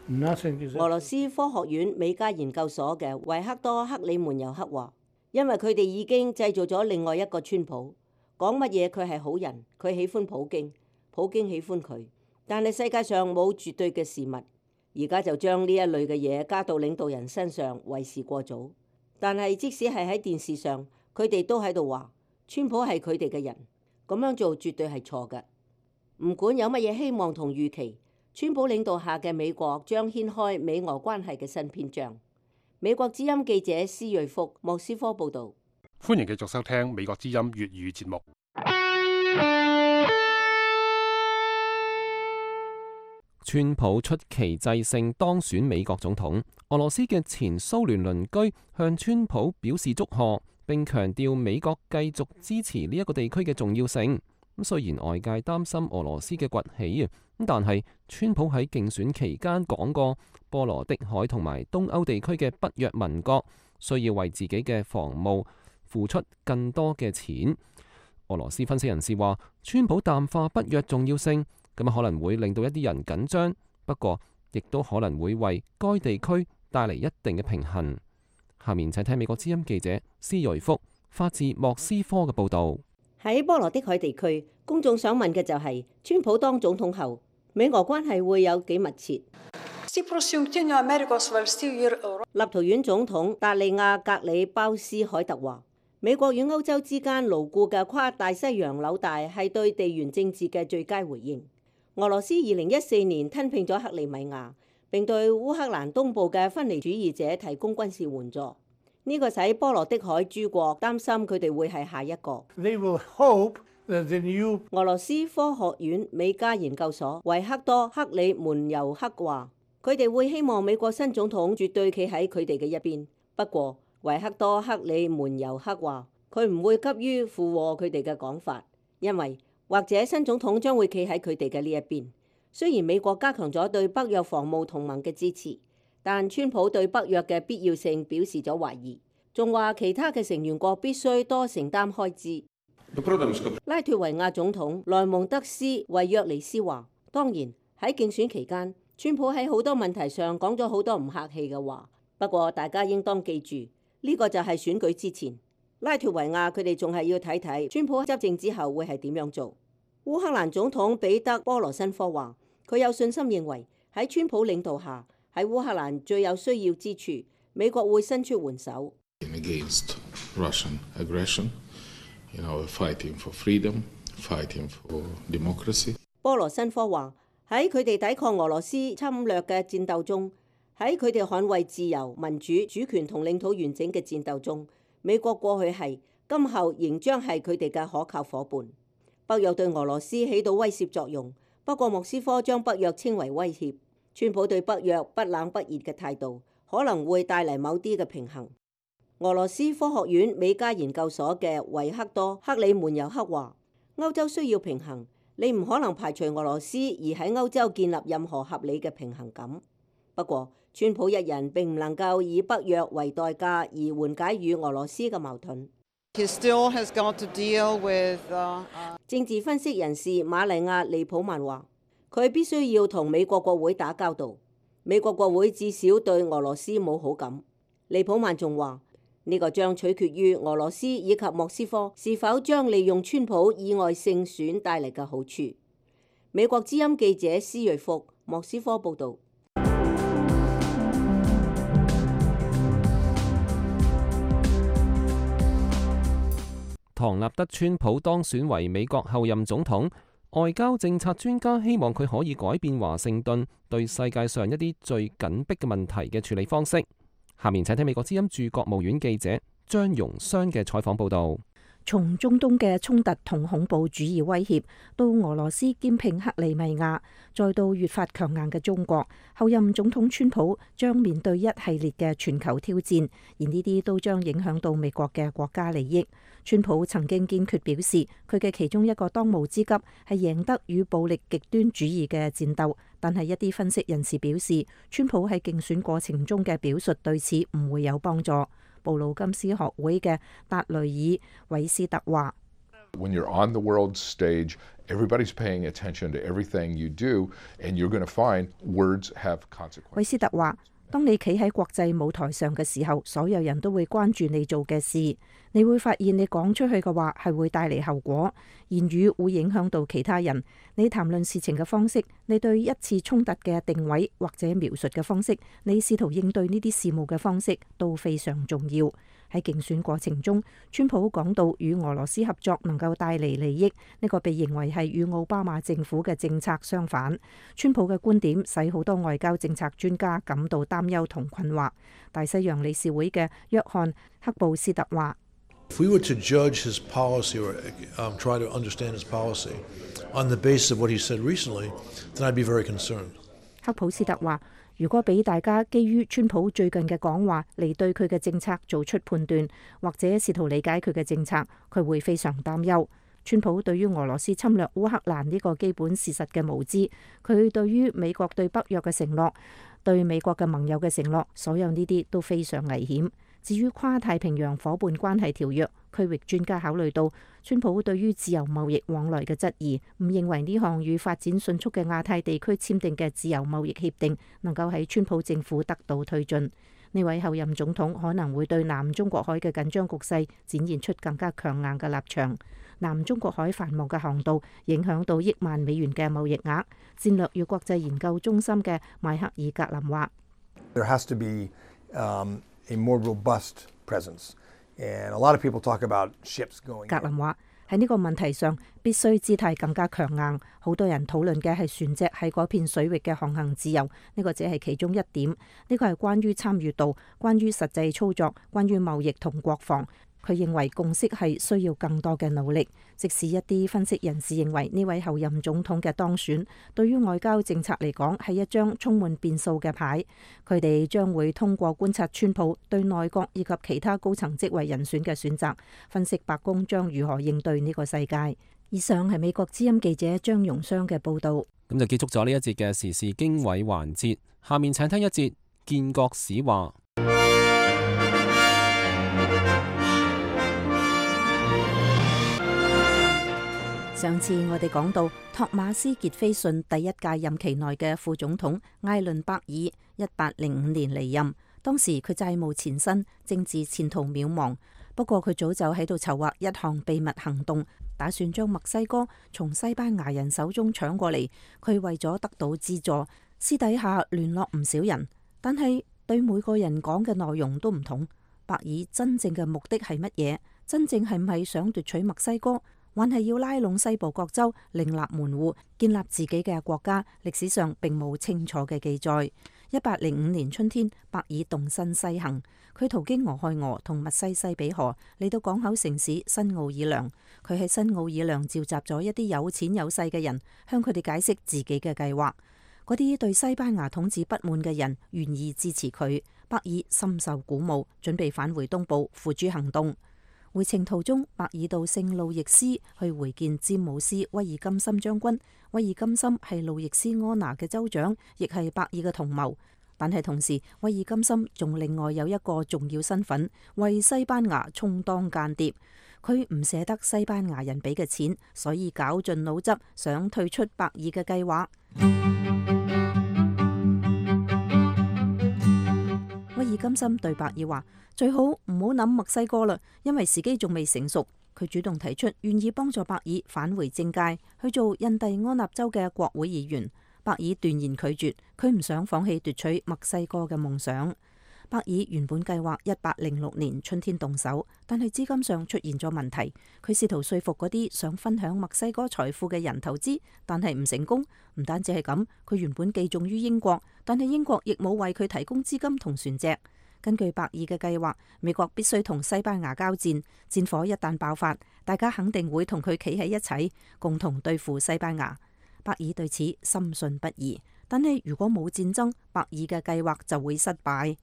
Nothing is. 俄羅斯科學院美加研究所嘅維克多克里門尤克話，因為佢哋已經製造咗另外一個川普，講乜嘢佢係好人，佢喜歡普京，普京喜歡佢。但係世界上冇絕對嘅事物，而家就將呢一類嘅嘢加到領導人身上，為時過早。但係即使係喺電視上，佢哋都喺度話川普係佢哋嘅人，咁樣做絕對係錯嘅。唔管有乜嘢希望同預期，川普領導下嘅美國將掀開美俄關係嘅新篇章。美國之音記者施瑞福莫斯科報導。歡迎繼續收聽美國之音粵語節目。川普出奇制勝當選美國總統，俄羅斯嘅前蘇聯鄰居向川普表示祝賀，並強調美國繼續支持呢一個地區嘅重要性。咁雖然外界擔心俄羅斯嘅崛起啊，咁但係川普喺競選期間講過，波羅的海同埋東歐地區嘅北約盟國需要為自己嘅防務付出更多嘅錢。俄羅斯分析人士話，川普淡化北約重要性，咁可能會令到一啲人緊張，不過亦都可能會為該地區帶嚟一定嘅平衡。下面請聽美國之音記者施瑞福發自莫斯科嘅報導。喺波羅的海地區，公眾想問嘅就係、是、川普當總統後，美俄關係會有幾密切？立陶宛總統達利亞格里鮑斯凱特話：美國與歐洲之間牢固嘅跨大西洋紐帶係對地緣政治嘅最佳回應。俄羅斯二零一四年吞併咗克里米亞，並對烏克蘭東部嘅分離主義者提供軍事援助。呢個使波羅的海諸國擔心佢哋會係下一個。They will hope that the new... 俄羅斯科學院美加研究所維克多克里門尤克話，佢哋會希望美國新總統絕對企喺佢哋嘅一邊。不過維克多克里門尤克話，佢唔會急於附和佢哋嘅講法，因為或者新總統將會企喺佢哋嘅呢一邊。雖然美國加強咗對北約防務同盟嘅支持，但川普對北約嘅必要性表示咗懷疑。仲話其他嘅成員國必須多承擔開支。拉脫維亞總統萊蒙德斯維約尼斯話，當然喺競選期間，川普喺好多問題上講咗好多唔客氣嘅話，不過大家應當記住，呢個就係選舉之前。拉脫維亞佢哋仲係要睇睇川普執政之後會係點樣做。烏克蘭總統彼得波羅申科話，佢有信心認為喺川普領導下，喺烏克蘭最有需要之處，美國會伸出援手。Against Russian aggression, you know, fighting for freedom, fighting for democracy. 波羅申科話，喺佢哋抵抗俄羅斯侵略嘅戰鬥中，喺佢哋捍衛自由、民主、主權同領土完整嘅戰鬥中，美國過去係，今後仍將係佢哋嘅可靠夥伴。北約對俄羅斯起到威懾作用，不過莫斯科將北約稱為威脅。川普對北約不冷不熱嘅態度，可能會帶嚟某啲嘅平衡。俄羅斯科學院美加研究所嘅維克多克里門尤克話，歐洲需要平衡，你唔可能排除俄羅斯而喺歐洲建立任何合理嘅平衡感。不過，川普一人並唔能夠以北約為代價而緩解與俄羅斯嘅矛盾。He still has got to deal with, uh, uh... 政治分析人士瑪麗亞利普曼話，佢必須要同美國國會打交道。美國國會至少對俄羅斯冇好感。利普曼仲話，呢個將取決於俄羅斯以及莫斯科是否將利用川普意外勝選帶嚟嘅好處。美國之音記者施瑞福莫斯科報導。唐納德·川普當選為美國後任總統，外交政策專家希望佢可以改變華盛頓對世界上一啲最緊迫嘅問題嘅處理方式。下面請聽美國之音駐國務院記者張容湘嘅採訪報導。從中東嘅衝突同恐怖主義威脅，到俄羅斯兼併克里米亞，再到越發強硬嘅中國，後任總統川普將面對一系列嘅全球挑戰，而呢啲都將影響到美國嘅國家利益。川普曾經堅決表示，佢嘅其中一個當務之急係贏得與暴力極端主義嘅戰鬥，但係一啲分析人士表示，川普喺競選過程中嘅表述對此唔會有幫助。布魯金斯學會嘅達雷爾韋斯特話：When you're on the world stage, everybody's paying attention to everything you do, and you're going to find words have consequences. 韋斯特話：當你企喺國際舞台上嘅時候，所有人都會關注你做嘅事。你會發現你講出去嘅話係會帶嚟後果，言語會影響到其他人。你談論事情嘅方式，你對一次衝突嘅定位或者描述嘅方式，你試圖應對呢啲事務嘅方式都非常重要。喺競選過程中，川普講到與俄羅斯合作能夠帶嚟利益，呢個被認為係與奧巴馬政府嘅政策相反。川普嘅觀點使好多外交政策專家感到擔憂同困惑。大西洋理事會嘅約翰克布斯特話：If we were to judge his policy or um, try to understand his policy on the basis of what he said recently, then I'd be very concerned. 克普斯特話：如果俾大家基於川普最近嘅講話嚟對佢嘅政策做出判斷，或者試圖理解佢嘅政策，佢會非常擔憂。川普對於俄羅斯侵略烏克蘭呢個基本事實嘅無知，佢對於美國對北約嘅承諾，對美國嘅盟友嘅承諾，所有呢啲都非常危險。至於跨太平洋夥伴關係條約，區域專家考慮到川普對於自由貿易往來嘅質疑，唔認為呢項與發展迅速嘅亞太地區簽訂嘅自由貿易協定能夠喺川普政府得到推進。呢位後任總統可能會對南中國海嘅緊張局勢展現出更加強硬嘅立場。南中國海繁忙嘅航道影響到億萬美元嘅貿易額。戰略與國際研究中心嘅邁克爾格林話：There has to be, um, a more robust presence, and a lot of people talk about ships going. 格林話喺呢個問題上必須姿態更加強硬。好多人討論嘅係船隻喺嗰片水域嘅航行自由，呢個只係其中一點。呢個係關於參與度、關於實際操作、關於貿易同國防。佢認為共識係需要更多嘅努力。即使一啲分析人士認為呢位後任總統嘅當選對於外交政策嚟講係一張充滿變數嘅牌，佢哋將會通過觀察川普對內閣以及其他高層職位人選嘅選擇，分析白宮將如何應對呢個世界。以上係美國之音記者張容湘嘅報導。咁就結束咗呢一節嘅時事經緯環節。下面請聽一節建國史話。上次我哋講到托馬斯傑菲遜第一屆任期內嘅副總統艾倫伯爾，一八零五年離任，當時佢債務纏身，政治前途渺茫。不過佢早就喺度籌劃一項秘密行動，打算將墨西哥從西班牙人手中搶過嚟。佢為咗得到資助，私底下聯絡唔少人，但係對每個人講嘅內容都唔同。伯爾真正嘅目的係乜嘢？真正係唔係想奪取墨西哥？還係要拉攏西部各州，另立門戶，建立自己嘅國家？歷史上並冇清楚嘅記載。一八零五年春天，伯爾動身西行，佢途經俄亥俄同密西西比河，嚟到港口城市新奧爾良。佢喺新奧爾良召集咗一啲有錢有勢嘅人，向佢哋解釋自己嘅計劃。嗰啲對西班牙統治不滿嘅人願意支持佢，伯爾深受鼓舞，準備返回東部付諸行動。回程途中，伯爾到聖路易斯去會見詹姆斯威爾金森將軍。威爾金森係路易斯安那嘅州長，亦係伯爾嘅同謀。但係同時，威爾金森仲另外有一個重要身份，為西班牙充當間諜。佢唔捨得西班牙人俾嘅錢，所以絞盡腦汁想退出伯爾嘅計劃。威爾金森對伯爾話：最好唔好諗墨西哥啦，因為時機仲未成熟。佢主動提出願意幫助伯爾返回政界，去做印第安納州嘅國會議員。伯爾斷然拒絕，佢唔想放棄奪取墨西哥嘅夢想。伯爾原本計劃一八零六年春天動手，但係資金上出現咗問題。佢試圖說服嗰啲想分享墨西哥財富嘅人投資，但係唔成功。唔單止係咁，佢原本寄種於英國，但係英國亦冇為佢提供資金同船隻。根據伯爾嘅計劃，美國必須同西班牙交戰，戰火一旦爆發，大家肯定會同佢企喺一齊，共同對付西班牙。伯爾對此深信不疑，但係如果冇戰爭，伯爾嘅計劃就會失敗。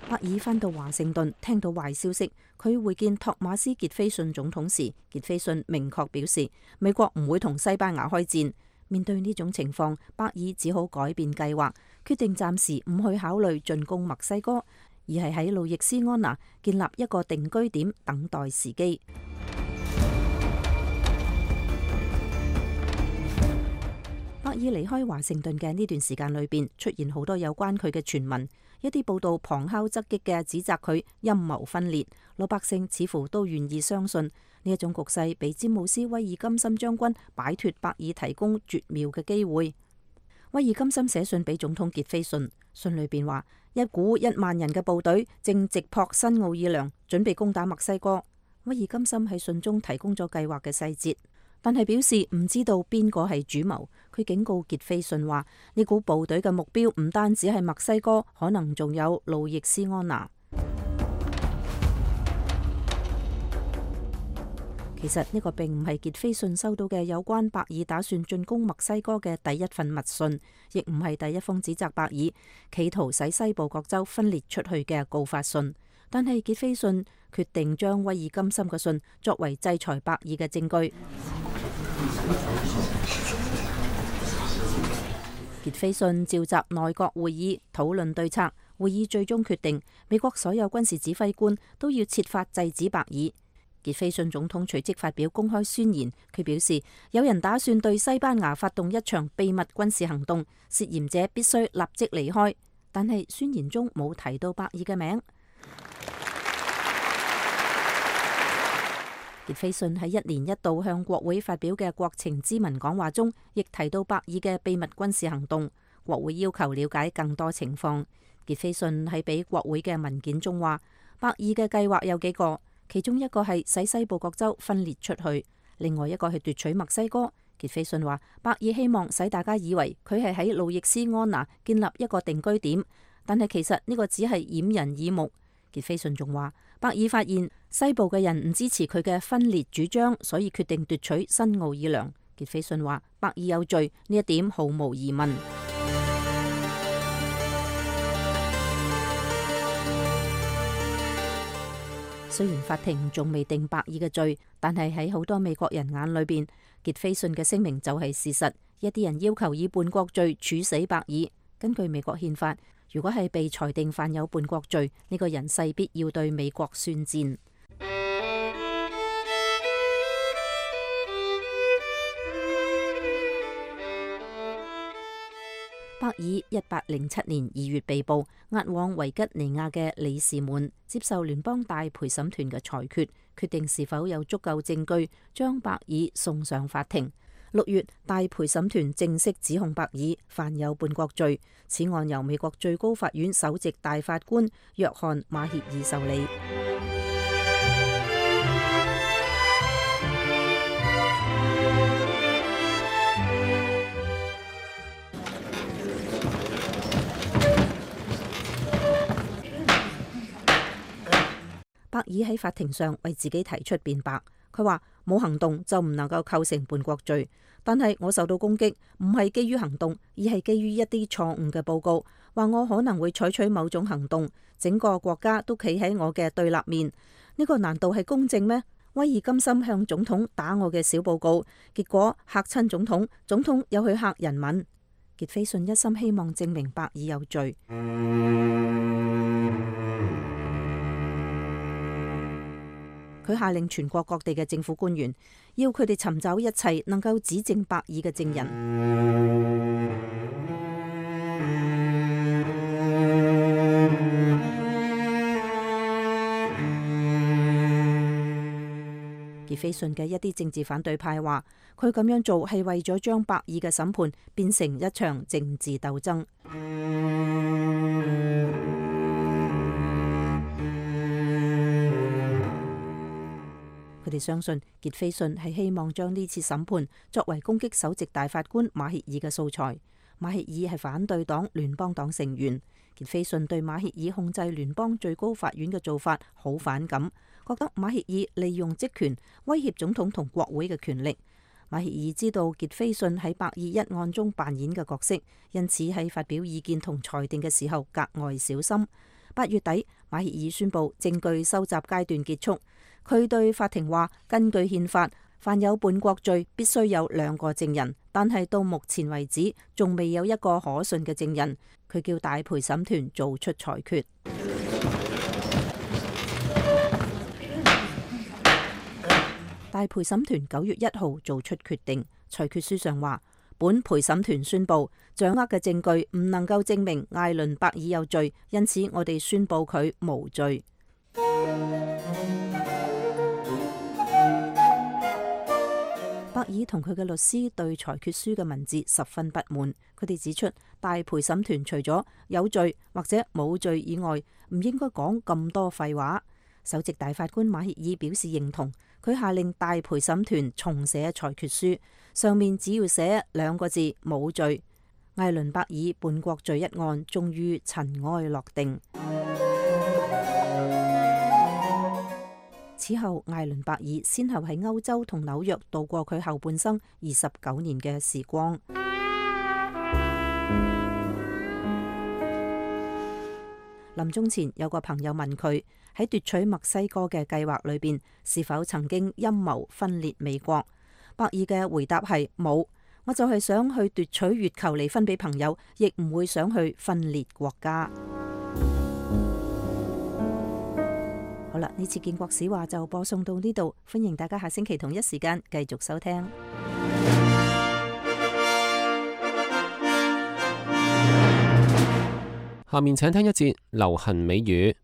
伯爾返到華盛頓，聽到壞消息，佢會見托馬斯傑菲遜總統時，傑菲遜明確表示美國唔會同西班牙開戰。面對呢種情況，伯爾只好改變計劃，決定暫時唔去考慮進攻墨西哥，而係喺路易斯安那建立一個定居點，等待時機。伯爾離開華盛頓嘅呢段時間裏邊，出現好多有關佢嘅傳聞，一啲報道旁敲側擊嘅指責佢陰謀分裂，老百姓似乎都願意相信呢一種局勢，俾詹姆斯威爾金森將軍擺脫伯爾提供絕妙嘅機會。威爾金森寫信俾總統傑菲遜，信裏邊話一股一萬人嘅部隊正直撲新奧爾良，準備攻打墨西哥。威爾金森喺信中提供咗計劃嘅細節，但係表示唔知道邊個係主謀。佢警告傑菲遜話呢股部隊嘅目標唔單止係墨西哥，可能仲有路易斯安那。其實呢個並唔係傑菲遜收到嘅有關伯爾打算進攻墨西哥嘅第一份密信，亦唔係第一封指責伯爾企圖使西部各州分裂出去嘅告發信。但係傑菲遜決定將威爾金森嘅信作為制裁伯爾嘅證據。傑菲遜召集內閣會議討論對策，會議最終決定美國所有軍事指揮官都要設法制止伯爾。傑菲遜總統隨即發表公開宣言，佢表示有人打算對西班牙發動一場秘密軍事行動，涉嫌者必須立即離開。但係宣言中冇提到伯爾嘅名。傑菲遜喺一年一度向國會發表嘅國情咨文講話中，亦提到伯爾嘅秘密軍事行動。國會要求了解更多情況。傑菲遜喺俾國會嘅文件中話，伯爾嘅計劃有幾個，其中一個係使西部各州分裂出去，另外一個係奪取墨西哥。傑菲遜話，伯爾希望使大家以為佢係喺路易斯安那建立一個定居點，但係其實呢個只係掩人耳目。傑菲遜仲話，伯爾發現西部嘅人唔支持佢嘅分裂主張，所以決定奪取新奧爾良。傑菲遜話，伯爾有罪，呢一點毫無疑問。雖然法庭仲未定伯爾嘅罪，但係喺好多美國人眼裏邊，傑菲遜嘅聲明就係事實。一啲人要求以叛國罪處死伯爾。根據美國憲法，如果係被裁定犯有叛國罪，呢個人勢必要對美國宣戰。伯爾一八零七年二月被捕，押往維吉尼亞嘅里士滿接受聯邦大陪審團嘅裁決，決定是否有足夠證據將伯爾送上法庭。六月，大陪審團正式指控伯爾犯有叛國罪，此案由美國最高法院首席大法官約翰馬歇爾受理。伯爾喺法庭上為自己提出辯白，佢話冇行動就唔能夠構成叛國罪，但係我受到攻擊唔係基於行動，而係基於一啲錯誤嘅報告，話我可能會採取某種行動，整個國家都企喺我嘅對立面，呢個難道係公正咩？威爾甘心向總統打我嘅小報告，結果嚇親總統，總統又去嚇人民。傑斐遜一心希望證明伯爾有罪。佢下令全國各地嘅政府官員，要佢哋尋找一切能夠指證伯爾嘅證人。傑斐遜嘅一啲政治反對派話，佢咁樣做係為咗將伯爾嘅審判變成一場政治鬥爭。佢哋相信傑斐遜係希望將呢次審判作為攻擊首席大法官馬歇爾嘅素材。馬歇爾係反對黨聯邦黨成員，傑斐遜對馬歇爾控制聯邦最高法院嘅做法好反感，覺得馬歇爾利用職權威脅總統同國會嘅權力。馬歇爾知道傑斐遜喺伯爾一案中扮演嘅角色，因此喺發表意見同裁定嘅時候格外小心。八月底，馬歇爾宣布證據收集階段結束。佢對法庭話：根據憲法，犯有叛國罪必須有兩個證人，但係到目前為止仲未有一個可信嘅證人。佢叫大陪審團做出裁決。大陪審團九月一號做出決定，裁決書上話：本陪審團宣布掌握嘅證據唔能夠證明艾倫伯爾有罪，因此我哋宣布佢無罪。伯爾同佢嘅律師對裁決書嘅文字十分不滿，佢哋指出大陪審團除咗有罪或者冇罪以外，唔應該講咁多廢話。首席大法官馬歇爾表示認同，佢下令大陪審團重寫裁決書，上面只要寫兩個字冇罪。艾倫伯爾叛國罪一案終於塵埃落定。此後，艾倫伯爾先後喺歐洲同紐約度過佢後半生二十九年嘅時光。臨終前，有個朋友問佢喺奪取墨西哥嘅計劃裏邊，是否曾經陰謀分裂美國？伯爾嘅回答係冇，我就係想去奪取月球嚟分俾朋友，亦唔會想去分裂國家。好啦，呢次建國史話就播送到呢度，歡迎大家下星期同一時間繼續收聽。下面請聽一節流行美語。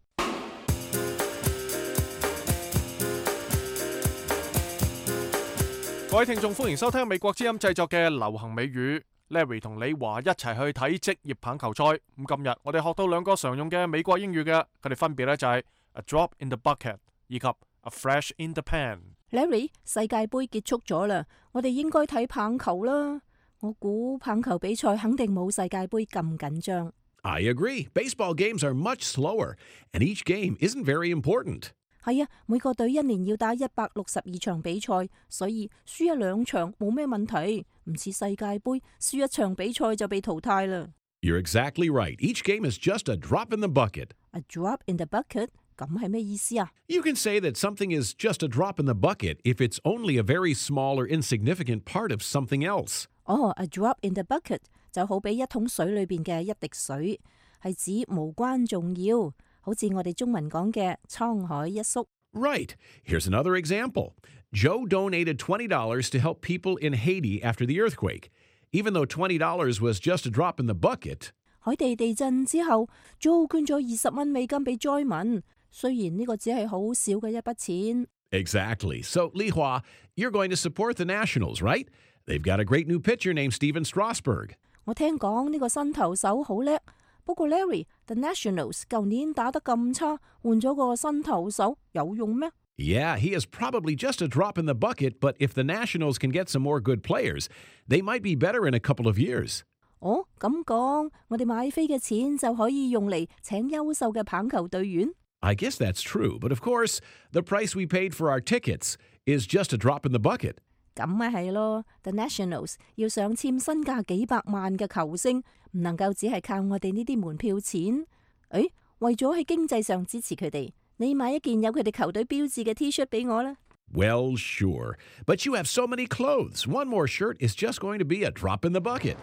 各位聽眾，歡迎收聽美國之音製作嘅流行美語。Larry 同李華一齊去睇職業棒球賽。咁今日我哋學到兩個常用嘅美國英語嘅，佢哋分別咧就係 A drop in the bucket 以及 A flash in the pan。Larry， 世界盃結束咗啦，我哋應該睇棒球啦。我估棒球比賽肯定冇世界盃咁緊張。I agree. Baseball games are much slower, and each game isn't very important. 係啊，每個隊一年要打一百六十二場比賽，所以輸一兩場冇咩問題。唔似世界盃，輸一場比賽就被淘汰啦。You're exactly right. Each game is just a drop in the bucket. A drop in the bucket？ 咁係咩意思啊？ You can say that something is just a drop in the bucket if it's only a very small or insignificant part of something else. 哦，a drop in the bucket 就好比一桶水裏邊嘅一滴水，係指無關重要，好似我哋中文講嘅滄海一粟。Right. Here's another example. Joe donated twenty dollars to help people in Haiti after the earthquake. Even though twenty dollars was just a drop in the bucket. 海地地震之後 ，Joe 捐咗二十蚊美金俾災民，雖然呢個只係好少嘅一筆錢。Exactly. So, Li Hua, you're going to support the Nationals, right? They've got a great new pitcher named Steven Strasburg. 我聽講呢個新投手好叻，不過 Larry，The Nationals 舊年打得咁差，換咗個新投手有用咩？ Yeah, he is probably just a drop in the bucket, but if the Nationals can get some more good players, they might be better in a couple of years. 哦，咁講，我哋買飛嘅錢就可以用嚟請優秀嘅棒球隊員。I guess that's true, but of course, the price we paid for our tickets is just a drop in the bucket. 咁咪係咯 ，The Nationals 要上簽身價幾百萬嘅球星，唔能夠只係靠我哋呢啲門票錢。誒，為咗喺經濟上支持佢哋，你買一件有佢哋球隊標誌嘅 T-shirt 俾我啦。Well, sure, but you have so many clothes. One more shirt is just going to be a drop in the bucket.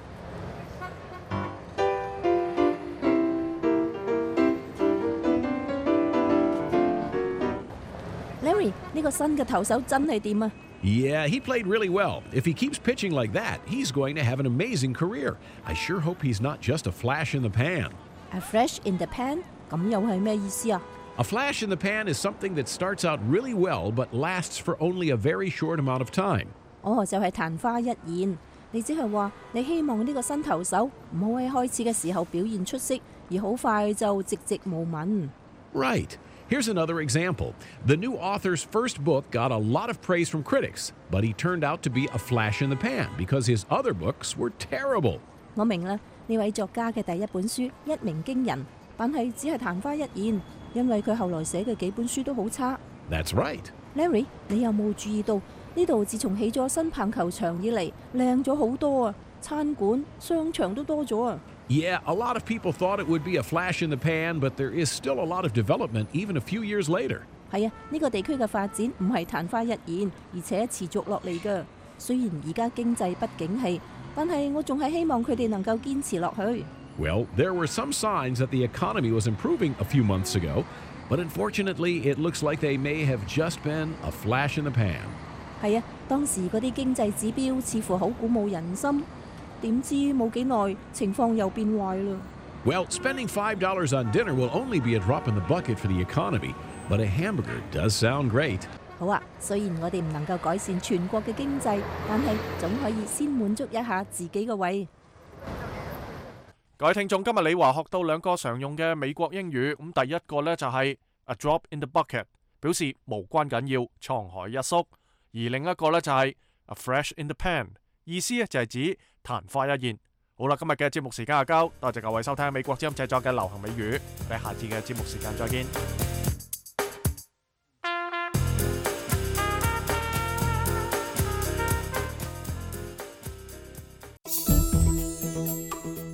Larry， 呢個新嘅投手真係掂啊！ Yeah, he played really well. If he keeps pitching like that, he's going to have an amazing career. I sure hope he's not just a flash in the pan. A flash in the pan？ 咁又係咩意思啊？ A flash in the pan is something that starts out really well but lasts for only a very short amount of time. 哦，就係曇花一現。你即係話你希望呢個新投手唔好喺開始嘅時候表現出色，而好快就寂寂無聞。 Right. Here's another example. The new author's first book got a lot of praise from critics, but he turned out to be a flash in the pan because his other books were terrible. 我明啦，呢位作家嘅第一本書一鳴驚人，但係只係曇花一現，因為佢後來寫嘅幾本書都好差。That's right. Larry， 你有冇注意到呢度自從起咗新棒球場以嚟，靚咗好多啊！餐館、商場都多咗啊！ Yeah, a lot of people thought it would be a flash in the pan, but there is still a lot of development even a few years later. 係啊，呢個地區嘅發展唔係曇花一現，而且持續落嚟㗎。雖然而家經濟不景氣，但係我仲係希望佢哋能夠堅持落去。Well, there were some signs that the economy was improving a few months ago, but unfortunately, it looks like they may have just been a flash in the pan. 係啊，當時嗰啲經濟指標似乎好鼓舞人心。 點知冇幾耐，情況又變壞啦。Well, spending five dollars on dinner will only be a drop in the bucket for the economy, but a hamburger does sound great. 好啊，雖然我哋唔能夠改善全國嘅經濟，但係總可以先滿足一下自己嘅胃。各位聽眾，今日李華學到兩個常用嘅美國英語，咁第一個呢就係 a drop in the bucket， 表示無關緊要，滄海一粟；而另一個呢就係 a flash in the pan， 意思呢就係指曇花一現。好啦，今日嘅節目時間就夠，多謝各位收聽美國之音製作嘅流行美語，我哋下次嘅節目時間再見。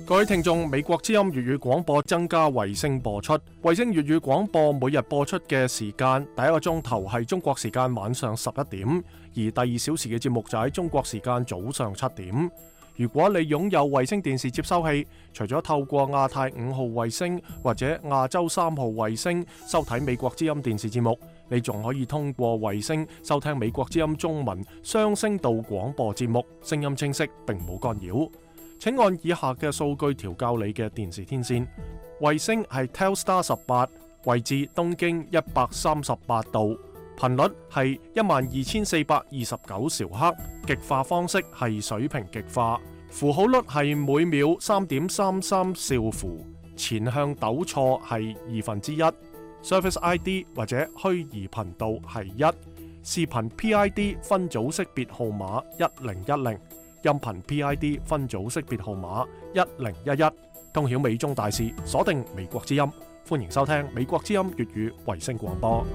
各位聽眾，美國之音粵語廣播增加衛星播出，衛星粵語廣播每日播出嘅時間，第一個鐘頭係中國時間晚上十一點，而第二小時嘅節目就喺中國時間早上七點。如果你擁有衛星電視接收器，除咗透過亞太五號衛星或者亞洲三號衛星收睇美國之音電視節目，你仲可以通過衛星收聽美國之音中文雙聲道廣播節目，聲音清晰並冇干擾。請按以下嘅數據調校你嘅電視天線。衛星係 Telstar 十八，位置東經一百三十八度，頻率係一萬二千四百二十九兆赫，極化方式係水平極化，符號率係每秒三點三三兆符，前向抖錯係二分之一 ，Service I D 或者虛擬頻道係一，視頻 P I D 分組識別號碼一零一零。音頻 P I D 分組識別號碼一零一一，通曉美中大事，鎖定美國之音，歡迎收聽美國之音粵語衛星廣播。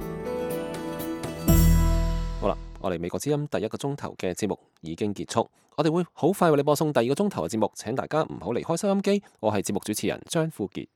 好啦，我哋美國之音第一個鐘頭嘅節目已經結束，我哋會好快為你播送第二個鐘頭嘅節目，請大家唔好離開收音機。我係節目主持人張富傑。